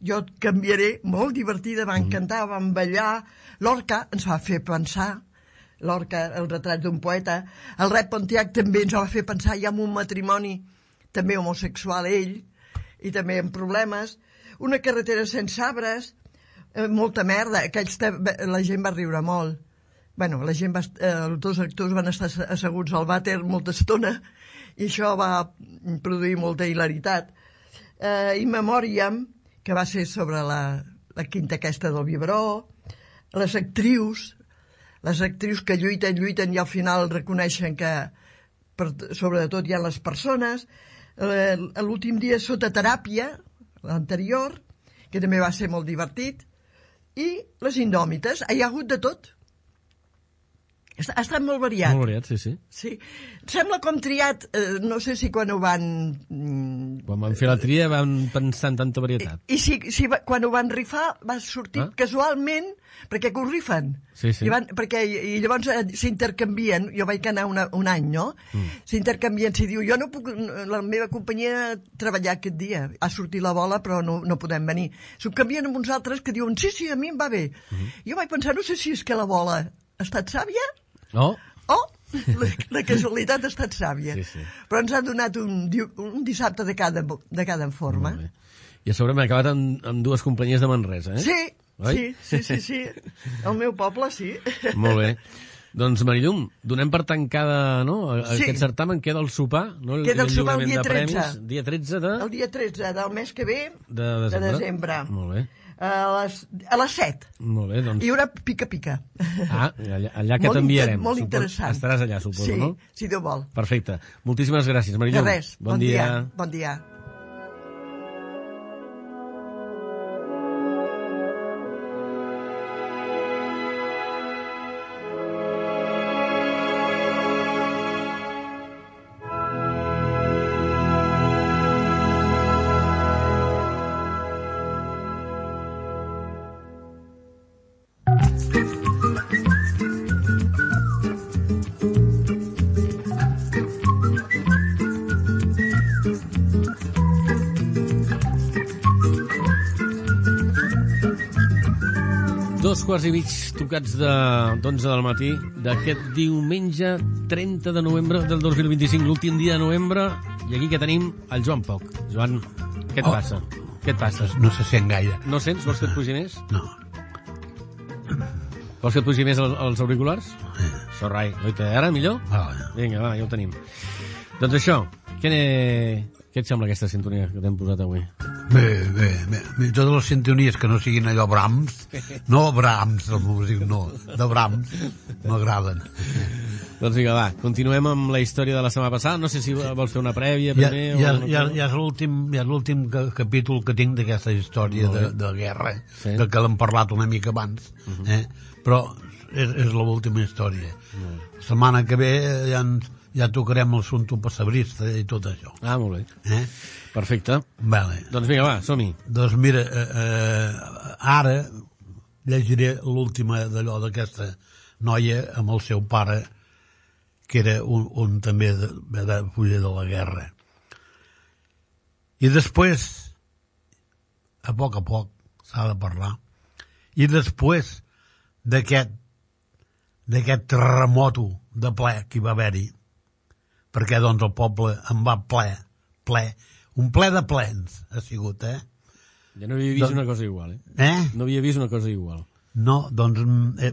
jo et canviaré, molt divertida, va encantar, mm. van ballar. L'Orca ens va fer pensar, l'Orca, el retrat d'un poeta. El Rep Pontiac també ens va fer pensar ja en un matrimoni també homosexual ell, i també amb problemes. Una carretera sense arbres, eh, molta merda, aquells te... la gent va riure molt. Bueno, la gent va, eh, els dos actors van estar asseguts al vàter molta estona i això va produir molta hilaritat. Eh, In Memoriam, que va ser sobre la, la quinta aquesta del Biberó, les actrius, les actrius que lluiten, lluiten i al final reconeixen que per, sobretot hi ha les persones. Eh, l'últim dia sota teràpia, l'anterior, que també va ser molt divertit, i les Indòmites, hi ha hagut de tot. Ha estat molt variat. Molt variat, sí, sí. Sí. Sembla com triat, eh, no sé si quan ho van... Quan van fer la tria van pensar en tanta varietat. I, i si, si va, quan ho van rifar va sortir ah? casualment, perquè que ho rifen. Sí, sí. I, van, perquè, I llavors eh, s'intercanvien, jo vaig anar una, un any, no? Mm. S'intercanvien, si diu, jo no puc, la meva companyia treballar aquest dia, ha sortit la bola però no, no podem venir. S'ho canvien amb uns altres que diuen, sí, sí, a mi em va bé. Mm. Jo vaig pensar, no sé si és que la bola ha estat sàvia, no? Oh, la, la casualitat ha estat sàvia. Sí, sí. Però ens ha donat un, un dissabte de cada, de cada forma. I a sobre m'he acabat amb, amb dues companyies de Manresa, eh? Sí, sí, sí, sí, sí. El meu poble, sí. Molt bé. Doncs, Marilum, donem per tancada, no? Sí. Aquest certamen, queda el sopar, no? El, queda el sopar el dia de tretze. Premis, dia tretze de... El dia tretze del mes que ve, de desembre. De desembre. Molt bé. A les, a les set. Molt bé, doncs... Hi haurà pica-pica. Ah, allà, allà que t'enviarem. Molt interessant. Estaràs allà, suposo, sí, no? Sí, si Déu vol. Perfecte. Moltíssimes gràcies, Marilum. De res. Bon, bon dia. dia. Bon dia. Dos quarts i mig tocats d'onze del matí d'aquest diumenge trenta de novembre del dos mil vint-i-cinc, l'últim dia de novembre, i aquí que tenim el Joan Poc. Joan, què et oh. passa? Què et passa? No se sent gaire. No sents? Vols que et pugi més? No. Vols que et pugi més els auriculars? Sí. Això, rai. Oita, ara millor? Ah, vinga, va, ja ho tenim. Doncs això, què, què et sembla aquesta sintonia que t'hem posat avui? Bé, bé, bé, bé. Totes les sintonies que no siguin allò Brahms, no Brahms, el músic, no, de Brahms, m'agraden. Doncs vinga, va, continuem amb la història de la setmana passada. No sé si vols fer una prèvia primer. Ja, o ja, ja és l'últim ja és l'últim capítol que tinc d'aquesta història de, de guerra, sí. De que l'hem parlat una mica abans, uh-huh. eh? Però és, és l'última història. Uh-huh. La setmana que ve ja, ja tocarem el Sunto Passabrista i tot això. Ah, molt bé. Eh? Perfecte. Vale. Doncs vinga, va, som-hi. Doncs mira, eh, eh, ara llegiré l'última d'allò d'aquesta noia amb el seu pare, que era un, un també de, de fulla de la guerra. I després, a poc a poc, s'ha de parlar, I després d'aquest d'aquest terremoto de ple que hi va haver-hi, perquè doncs el poble en va ple, ple, un ple de plens ha sigut, eh? Ja no havia vist doncs, una cosa igual, eh? Eh? No havia vist una cosa igual. No, doncs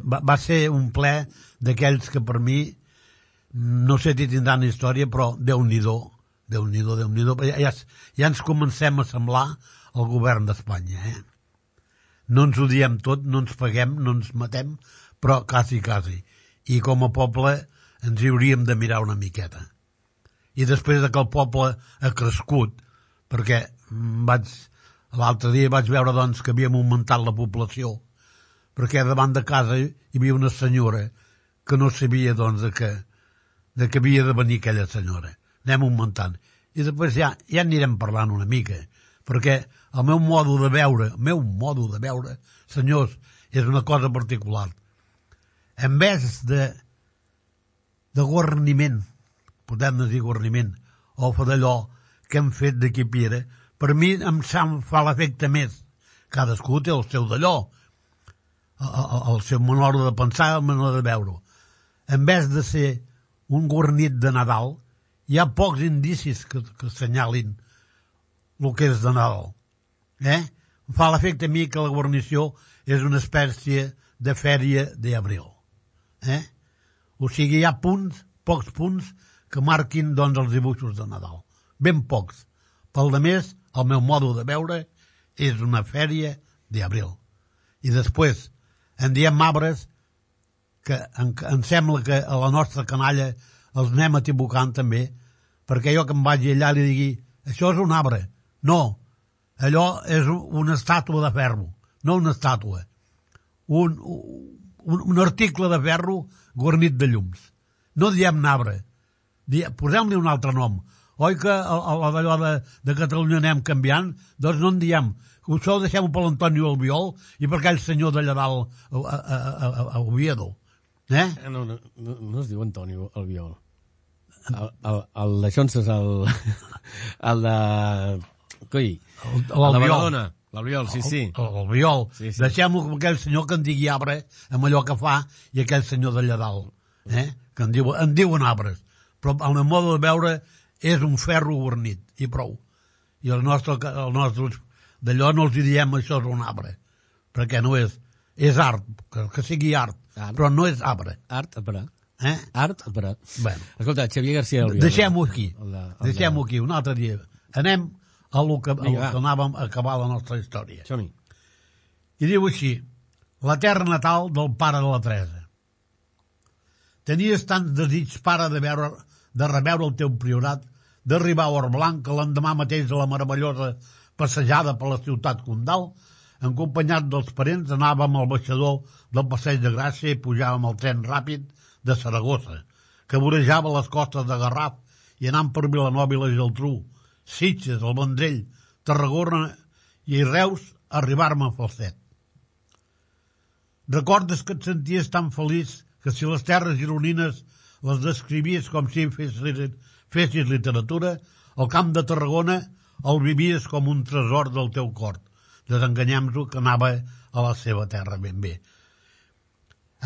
va, va ser un ple d'aquells que per mi, no sé si tindran història, però Déu-n'hi-do, Déu-n'hi-do, Déu-n'hi-do, ja, ja ens comencem a semblar al govern d'Espanya, eh? No ens odiem tot, no ens paguem, no ens matem, però quasi, quasi. I com a poble ens hi hauríem de mirar una miqueta. I després que el poble ha crescut, perquè vaig, l'altre dia vaig veure doncs, que havíem augmentat la població, perquè davant de casa hi havia una senyora que no sabia doncs, de, que, de que havia de venir aquella senyora. Anem augmentant. I després ja, ja anirem parlant una mica, perquè el meu modo de veure, el meu modo de veure, senyors, és una cosa particular. En vez de, de guarniment, podem dir guarniment, o d'allò que hem fet d'aquí Pira, per mi em fa l'efecte més. Cadascú té el seu d'allò, el, el seu manera de pensar, el manera de veure-ho. En vez de ser un guarnit de Nadal, hi ha pocs indicis que, que assenyalin el que és de Nadal. Eh? Em fa l'efecte a mi que la guarnició és una espècie de fèria d'abril. Eh? O sigui, hi ha punts, pocs punts, que marquin doncs, els dibuixos de Nadal. Ben pocs. Pel de més, el meu modo de veure és una fèria d'abril. I després, en diem arbres que em, em sembla que a la nostra canalla els anem equivocant també, perquè jo que em vagi allà li digui això és un arbre. No, allò és una estàtua de ferro, no una estàtua. Un, un, un article de ferro guarnit de llums. No diem arbre. Posem-li un altre nom. Oi que allò de, de Catalunya anem canviant? Doncs no en diem. Això ho deixem per l'Antonio Albiol i per aquell senyor d'allà dalt a, a, a, a Oviedo. Eh? No, no, no, no es diu Antonio Albiol. El, el, el d'això és el, el de... Coi, el, el de Badalona. L'Albiol, sí, sí. L'Albiol. Sí, sí. Deixem-lo com aquell senyor que en digui arbre amb allò que fa i aquell senyor d'allà dalt. Eh? Que en, diu, en diuen arbres. Però el meu modo de veure és un ferro guarnit, i prou. I el nostre, el nostre d'allò no els diem això és un arbre, perquè no és, és art, que, que sigui art, art, però no és arbre. Art a parar. Eh? Art a parar. Bueno. Escolta, Xavier García Albiol. Deixem-ho aquí, deixem-ho aquí, un altre dia. Anem a lo que, a lo que anàvem a acabar la nostra història. Som-hi. I diu així, la terra natal del pare de la Teresa. Tenies tants desig, pare, de, veure, de reveure el teu priorat, d'arribar a Orblanc, que l'endemà mateix de la meravellosa passejada per la ciutat condal, acompanyat dels parents, anàvem al baixador del Passeig de Gràcia i pujàvem al tren ràpid de Saragossa, que vorejava les costes de Garraf i anant per Vilanova i la Geltrú, Sitges, el Vendrell, Tarragona i Reus, arribar-me a Falset. Recordes que et senties tan feliç que si les terres gironines les descrivies com si fessis, fessis literatura, el camp de Tarragona el vivies com un tresor del teu cor. Desenganyem-nos que anava a la seva terra ben bé.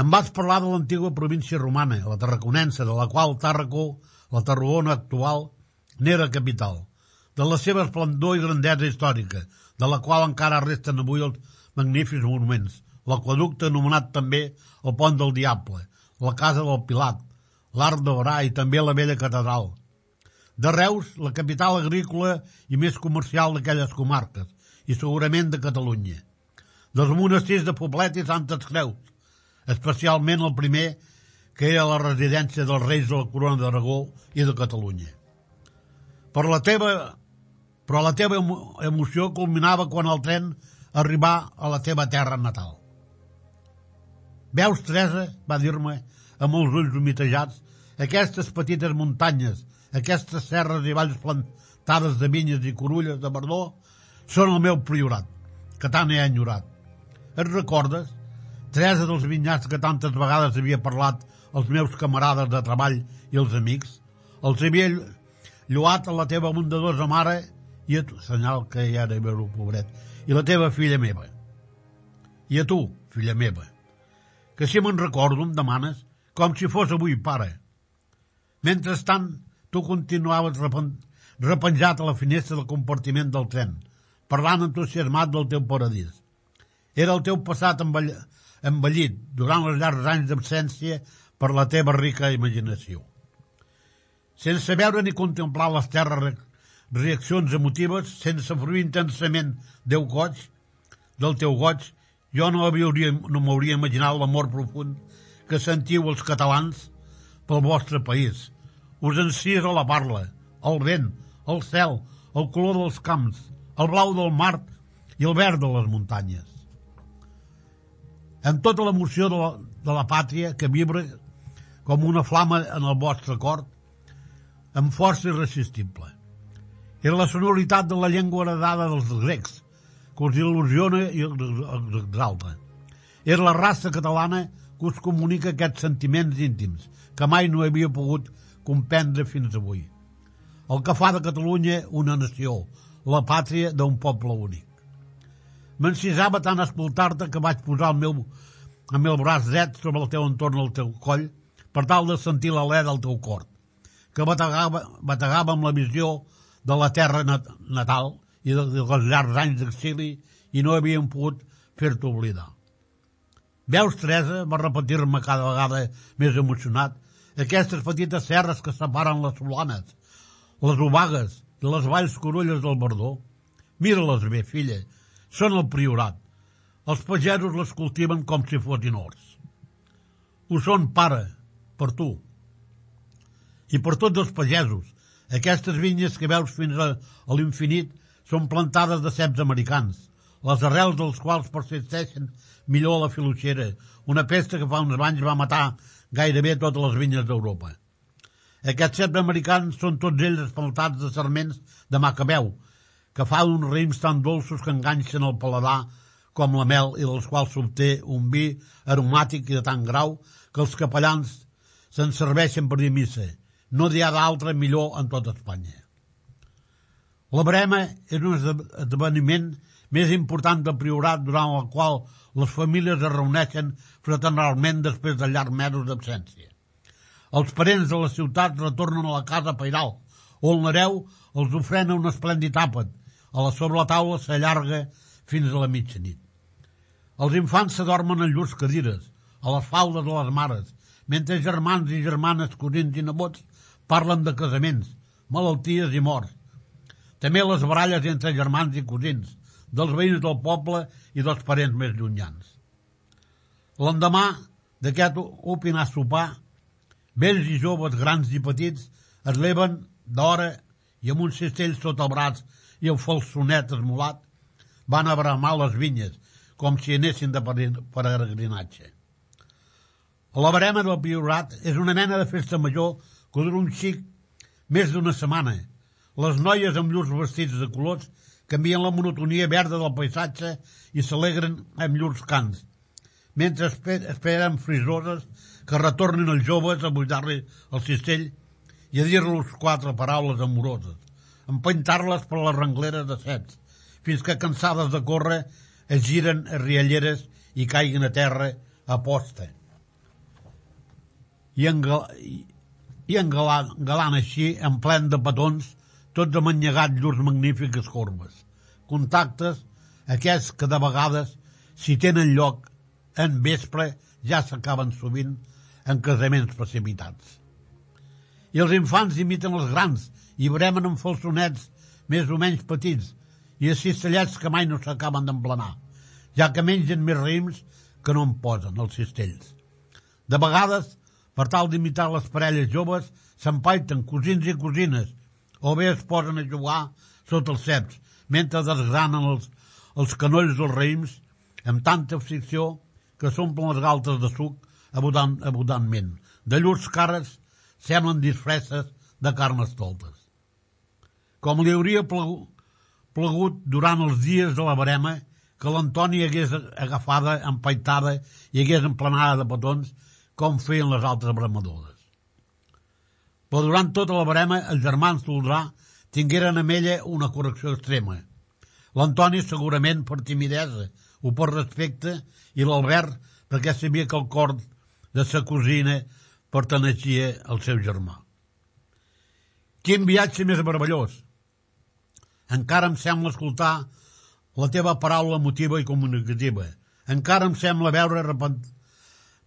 Em vas parlar de l'antiga província romana, la tarraconense, de la qual Tàrraco, la Tarragona actual, n'era capital, de la seva esplendor i grandesa històrica, de la qual encara resten avui els magnífics monuments, l'aqueducte anomenat també el Pont del Diable, la Casa del Pilat, l'Arc d'Orà i també la vella catedral. De Reus, la capital agrícola i més comercial d'aquelles comarques, i segurament de Catalunya. Dels monestirs de Poblet i Santes Creus, especialment el primer, que era la residència dels reis de la Corona d'Aragó i de Catalunya. Per la teva, però la teva emoció culminava quan el tren arribà a la teva terra natal. Veus, Teresa, va dir-me, amb els ulls humitejats, aquestes petites muntanyes, aquestes serres i valls plantades de vinyes i corulles de verdor, són el meu priorat, que tant he enyorat. Et recordes, Teresa, dels vinyats que tantes vegades havia parlat als meus camarades de treball i els amics? Els havia lloat a la teva bondadosa mare i a tu, senyal que ja era veure pobret, i la teva filla meva. I a tu, filla meva, que si me'n recordo em demanes com si fos avui, pare. Mentrestant, tu continuaves repen... repenjat a la finestra del compartiment del tren, parlant entusiasmat del teu paradís. Era el teu passat envell... envellit durant els llargs anys d'absència per la teva rica imaginació. Sense veure ni contemplar les terres re... reaccions emotives, sense fruir intensament Déu goig, del teu goig, jo no m'hauria no m'hauria imaginat l'amor profund que sentiu els catalans pel vostre país. Us encís a la parla, el vent, el cel, el color dels camps, el blau del mar i el verd de les muntanyes. Amb tota l'emoció de, la, de la pàtria que vibra com una flama en el vostre cor, amb força irresistible. Era la sonoritat de la llengua heredada dels grecs, que us il·lusiona i us exalta. Era la raça catalana que us comunica aquests sentiments íntims que mai no havia pogut comprendre fins avui. El que fa de Catalunya una nació, la pàtria d'un poble únic. M'encisava tant escoltar-te que vaig posar el meu, el meu braç dret sobre el teu entorn al teu coll per tal de sentir l'alè del teu cor, que bategava, bategava amb la visió de la terra nat natal i de, de els llargs anys d'exili i no havien pogut fer-te oblidar. Veus, Teresa, va repetir-me cada vegada més emocionat, aquestes petites serres que separen les Solanes, les Obagues i les valls corolles del Verdó. Mira-les bé, filla, són el Priorat. Els pagesos les cultiven com si fossin horts. Ho són, pare, per tu. I per tots els pagesos. Aquestes vinyes que veus fins a, a l'infinit són plantades de ceps americans, les arrels dels quals persisteixen millor a la filoxera, una pesta que fa uns anys va matar gairebé totes les vinyes d'Europa. Aquests ceps americans són tots ells espaltats de sarments de macabeu, que fa uns raïms tan dolços que enganxen el paladar com la mel i dels quals s'obté un vi aromàtic i de tant grau que els capellans se'n serveixen per dir missa. No n'hi ha d'altre millor en tota Espanya. La Verema és un esdeveniment més important del Priorat durant el qual les famílies es reuneixen fraternalment després de llargs mesos d'absència. Els parents de la ciutat retornen a la casa pairal, on l'hereu els ofrena un esplèndid àpat. A la sobre la taula s'allarga fins a la mitjanit. Els infants s'adormen en llurs cadires, a les faldes de les mares, mentre germans i germanes, cosins i nebots parlen de casaments, malalties i morts. També les baralles entre germans i cosins, dels veïns del poble i dels parents més llunyans. L'endemà d'aquest opinar sopar, vells i joves, grans i petits, es leven d'hora i amb un cistell sota el braç i el falsonet esmolat, van a bramar les vinyes, com si anessin de peregrinatge. La Verema del Priorat és una mena de festa major que dura un xic més d'una setmana. Les noies amb llurs vestits de colors canvien la monotonia verda del paisatge i s'alegren amb llurs cants, mentre esperen frisoses que retornin els joves a buidar-li el cistell i a dir-los quatre paraules amoroses, empentar-les per les rengleres de ceps, fins que, cansades de córrer, es giren a rialleres i caiguen a terra a posta. I, engal i, i engalant, engalant així, en plen de petons, tots amanyegats llurs magnífiques corbes. Contactes, aquests que de vegades, si tenen lloc, en vespre ja s'acaben sovint en casaments precipitats. I els infants imiten els grans i bremen amb falsonets més o menys petits i a cistellets que mai no s'acaben d'emplenar, ja que mengen més raïms que no en posen els cistells. De vegades, per tal d'imitar les parelles joves, s'empaiten cosins i cosines, o bé es posen a jugar sota els ceps, mentre desgranen els, els canolls dels raïms amb tanta ficció que s'omplen les galtes de suc abundant, abundantment. De llurs cares semblen disfresses de carnestoltes. Com li hauria plegut, plegut durant els dies de la Verema que l'Antoni hagués agafada, empaitada i hagués emplenada de petons com feien les altres bramadores. Però durant tota la Verema els germans Toldrà tingueren amb ella una correcció extrema. L'Antoni segurament per timidesa o per respecte, i l'Albert perquè sabia que el cor de sa cosina perteneixia al seu germà. Quin viatge més meravellós! Encara em sembla escoltar la teva paraula emotiva i comunicativa. Encara em sembla veure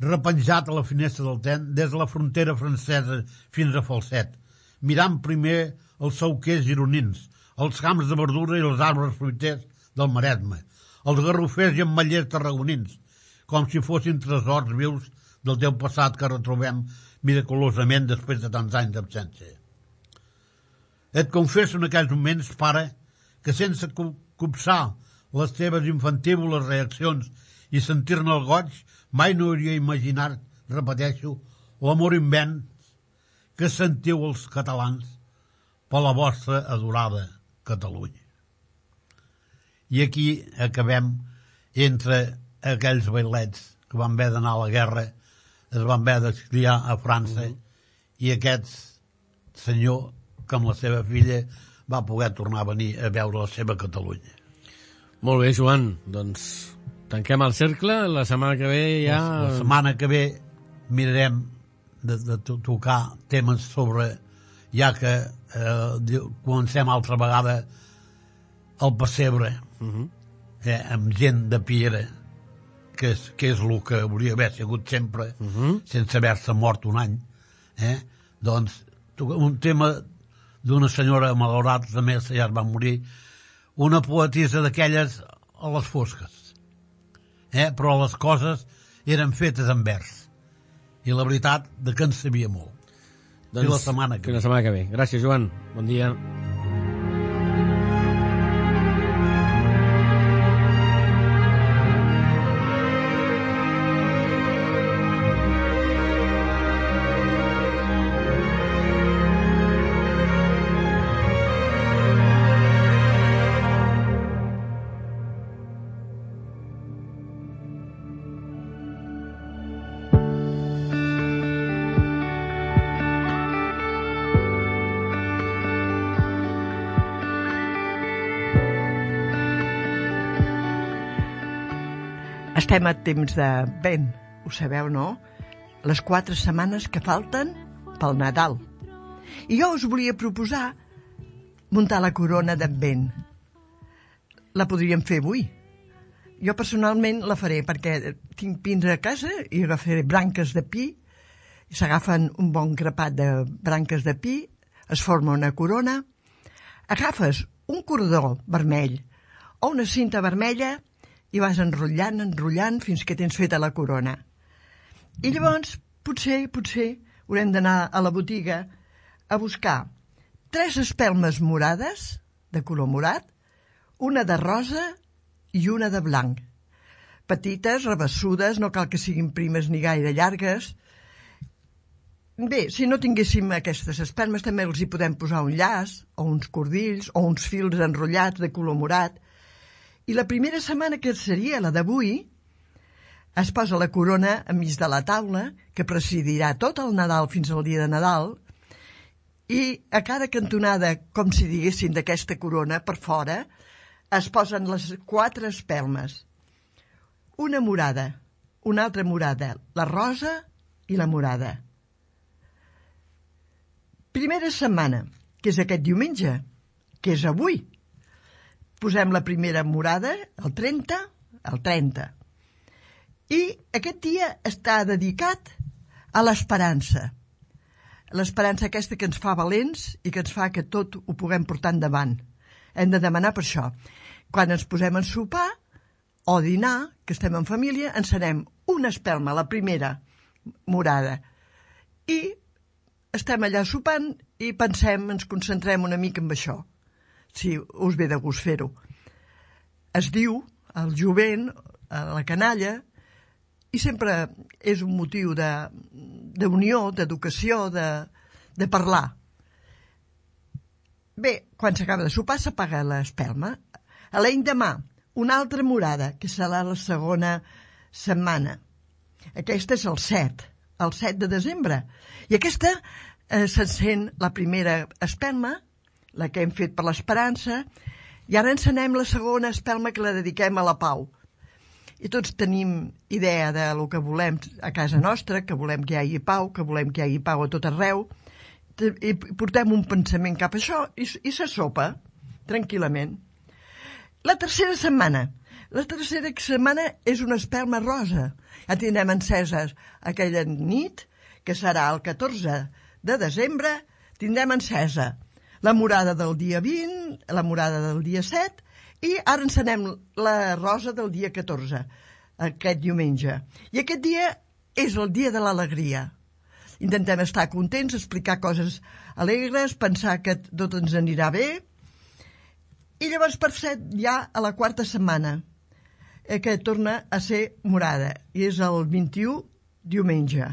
repenjat a la finestra del tren des de la frontera francesa fins a Falset, mirant primer els sauquers gironins, els camps de verdura i els arbres fruiters del Maresme, els garrofers i ametllers tarragonins, com si fossin tresors vius del teu passat que retrobem miraculosament després de tants anys d'absència. Et confesso en aquells moments, pare, que sense copsar les teves infantívoles reaccions i sentir-ne el goig, mai no hauria imaginat, repeteixo, l'amor immens que sentiu els catalans per la vostra adorada Catalunya. I aquí acabem entre aquells bailets que van haver d'anar a la guerra, es van haver d'exiliar a França, i aquest senyor, que amb la seva filla, va poder tornar a venir a veure la seva Catalunya. Molt bé, Joan, doncs tanquem el cercle, la setmana que ve ja... La, la setmana que ve mirarem de, de tocar temes sobre, ja que eh, comencem altra vegada el pessebre, uh -huh. eh, amb gent de piera, que és, que és el que hauria d'haver sigut sempre, uh -huh. sense haver-se mort un any, eh? Doncs un tema d'una senyora malaurada, també ja es va morir, una poetisa d'aquelles a les fosques, eh? Però les coses eren fetes en vers, i la veritat de que en sabia molt. Doncs, la setmana que la setmana que ve. Gràcies, Joan. Bon dia. Estem a temps de vent, ho sabeu, no? Les quatre setmanes que falten pel Nadal. I jo us volia proposar muntar la corona d'Advent. La podríem fer avui. Jo personalment la faré perquè tinc pins a casa i agafaré branques de pi, s'agafen un bon grapat de branques de pi, es forma una corona, agafes un cordó vermell o una cinta vermella i vas enrotllant, enrotllant, fins que tens feta la corona. I llavors, potser, potser, haurem d'anar a la botiga a buscar tres espelmes morades, de color morat, una de rosa i una de blanc. Petites, rebessudes, no cal que siguin primes ni gaire llargues. Bé, si no tinguéssim aquestes espelmes, també els hi podem posar un llaç, o uns cordills, o uns fils enrotllats de color morat. I la primera setmana, que seria la d'avui, es posa la corona enmig de la taula, que presidirà tot el Nadal fins al dia de Nadal, i a cada cantonada, com si diguéssim d'aquesta corona, per fora, es posen les quatre espelmes. Una morada, una altra morada, la rosa i la morada. Primera setmana, que és aquest diumenge, que és avui. Posem la primera morada, el trenta, el trenta. I aquest dia està dedicat a l'esperança. L'esperança aquesta que ens fa valents i que ens fa que tot ho puguem portar endavant. Hem de demanar per això. Quan ens posem a sopar o dinar, que estem en família, encenem una espelma, la primera morada. I estem allà sopant i pensem, ens concentrem una mica en això. Si us ve de gust fer-ho. Es diu el jovent, la canalla, i sempre és un motiu d'unió, d'educació, de, de parlar. Bé, quan s'acaba de sopar s'apaga l'espelma. A l'endemà, una altra morada, que serà la segona setmana. Aquesta és el set, el set de desembre. I aquesta eh, s'encén la primera espelma, la que hem fet per l'esperança, I ara encenem la segona espelma que la dediquem a la pau. I tots tenim idea de lo que volem a casa nostra, que volem que hi hagi pau, que volem que hi hagi pau a tot arreu, i portem un pensament cap a això i, i se sopa tranquil·lament. La tercera setmana. La tercera setmana és una espelma rosa. Ja tindrem enceses aquella nit, que serà el catorze de desembre, tindrem encesa la morada del dia vint, la morada del dia set, i ara encenem la rosa del dia catorze, aquest diumenge. I aquest dia és el dia de l'alegria. Intentem estar contents, explicar coses alegres, pensar que tot ens anirà bé. I llavors, per set, ja a la quarta setmana, que torna a ser morada, i és el vint-i-u diumenge.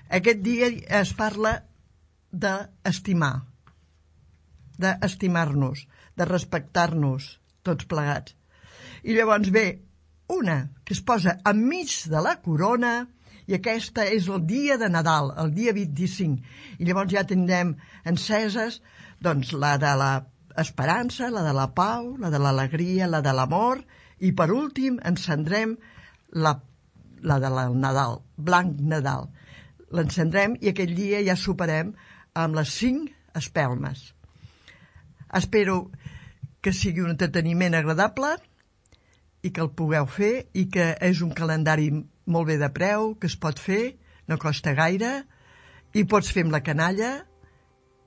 Aquest dia es parla d'estimar, d'estimar-nos, de respectar-nos, tots plegats. I llavors ve una que es posa enmig de la corona, i aquesta és el dia de Nadal, el dia vint-i-cinc. I llavors ja tindrem enceses, doncs, la de l'esperança, la de la pau, la de l'alegria, la de l'amor, i per últim encendrem la, la de la Nadal, blanc Nadal. L'encendrem i aquell dia ja soparem amb les cinc espelmes. Espero que sigui un entreteniment agradable i que el pugueu fer i que és un calendari molt bé de preu, que es pot fer, no costa gaire, i pots fer amb la canalla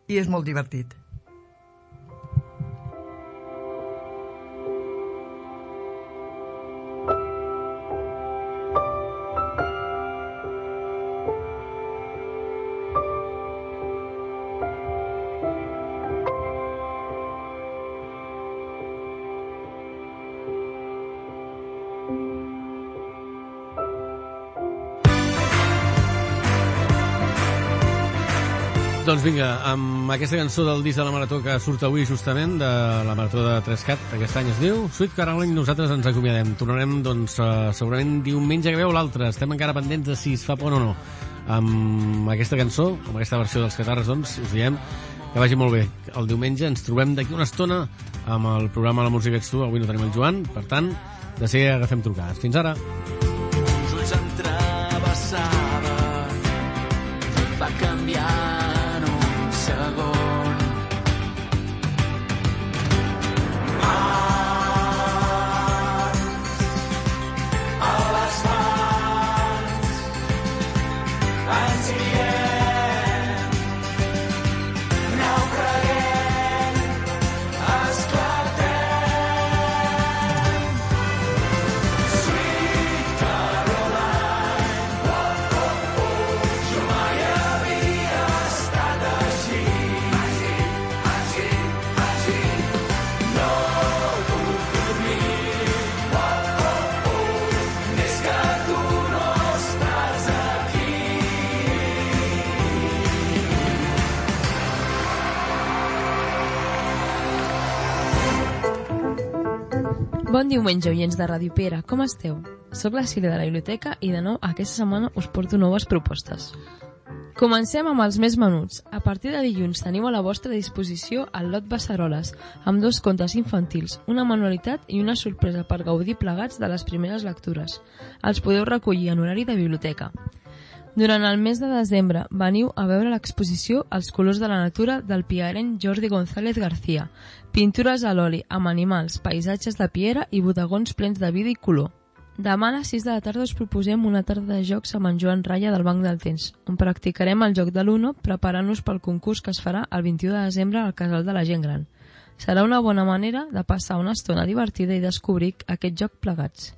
i és molt divertit. Doncs vinga, amb aquesta cançó del disc de la Marató que surt avui justament, de la Marató de Trescat, aquest any es diu Sweet Caroline, nosaltres ens acomiadem. Tornarem, doncs, uh, segurament diumenge que veu l'altre. Estem encara pendents de si es fa pont o no. Amb aquesta cançó, amb aquesta versió dels Catarres, doncs, us diem que vagi molt bé. El diumenge ens trobem d'aquí una estona amb el programa La Música Ets Tu. Avui no tenim el Joan, per tant, de seguida agafem trucades. Fins ara. Els ulls em travessaven, va canviar segon. Mans a les mans ens guiem, naufraguem, esclatem. Sweet Caroline, oh, oh, oh, jo mai havia estat així. Bon diumenge, oients de Ràdio Pera, com esteu? Soc la Sílvia de la biblioteca i de nou aquesta setmana us porto noves propostes. Comencem amb els més menuts. A partir de dilluns teniu a la vostra disposició el lot Beceroles, amb dos contes infantils, una manualitat i una sorpresa per gaudir plegats de les primeres lectures. Els podeu recollir en horari de biblioteca. Durant el mes de desembre veniu a veure l'exposició Els colors de la natura del piarenc Jordi González García, pintures a l'oli amb animals, paisatges de piera i bodegons plens de vida i color. Demà a les sis de la tarda us proposem una tarda de jocs amb en Joan Raya del Banc del Temps, on practicarem el joc de l'Uno preparant-nos pel concurs que es farà el vint-i-u de desembre al Casal de la Gent Gran. Serà una bona manera de passar una estona divertida i descobrir aquest joc plegats.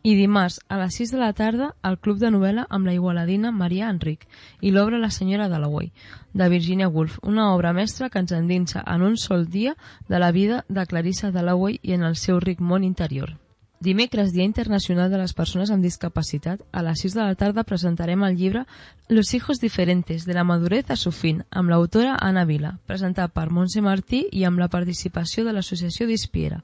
I dimarts, a les sis de la tarda, al Club de Novel·la amb la igualadina Maria Enric i l'obra La senyora Dalloway, de Virginia Woolf, una obra mestra que ens endinsa en un sol dia de la vida de Clarissa Dalloway i en el seu ric món interior. Dimecres, Dia Internacional de les Persones amb Discapacitat, a les sis de la tarda presentarem el llibre Los hijos diferentes, de la madurez a su fin, amb l'autora Anna Vila, presentat per Montse Martí i amb la participació de l'associació Dispiera.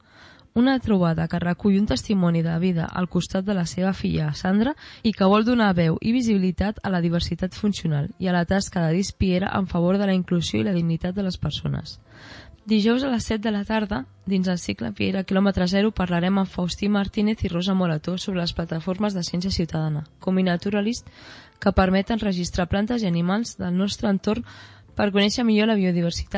una trobada que recull un testimoni de vida al costat de la seva filla Sandra i que vol donar veu i visibilitat a la diversitat funcional i a la tasca de Dis Piera en favor de la inclusió i la dignitat de les persones. Dijous a les set de la tarda, dins el cicle Piera quilòmetre zero, parlarem amb Faustí Martínez i Rosa Morató sobre les plataformes de ciència ciutadana, com iNaturalist, que permeten registrar plantes i animals del nostre entorn per conèixer millor la biodiversitat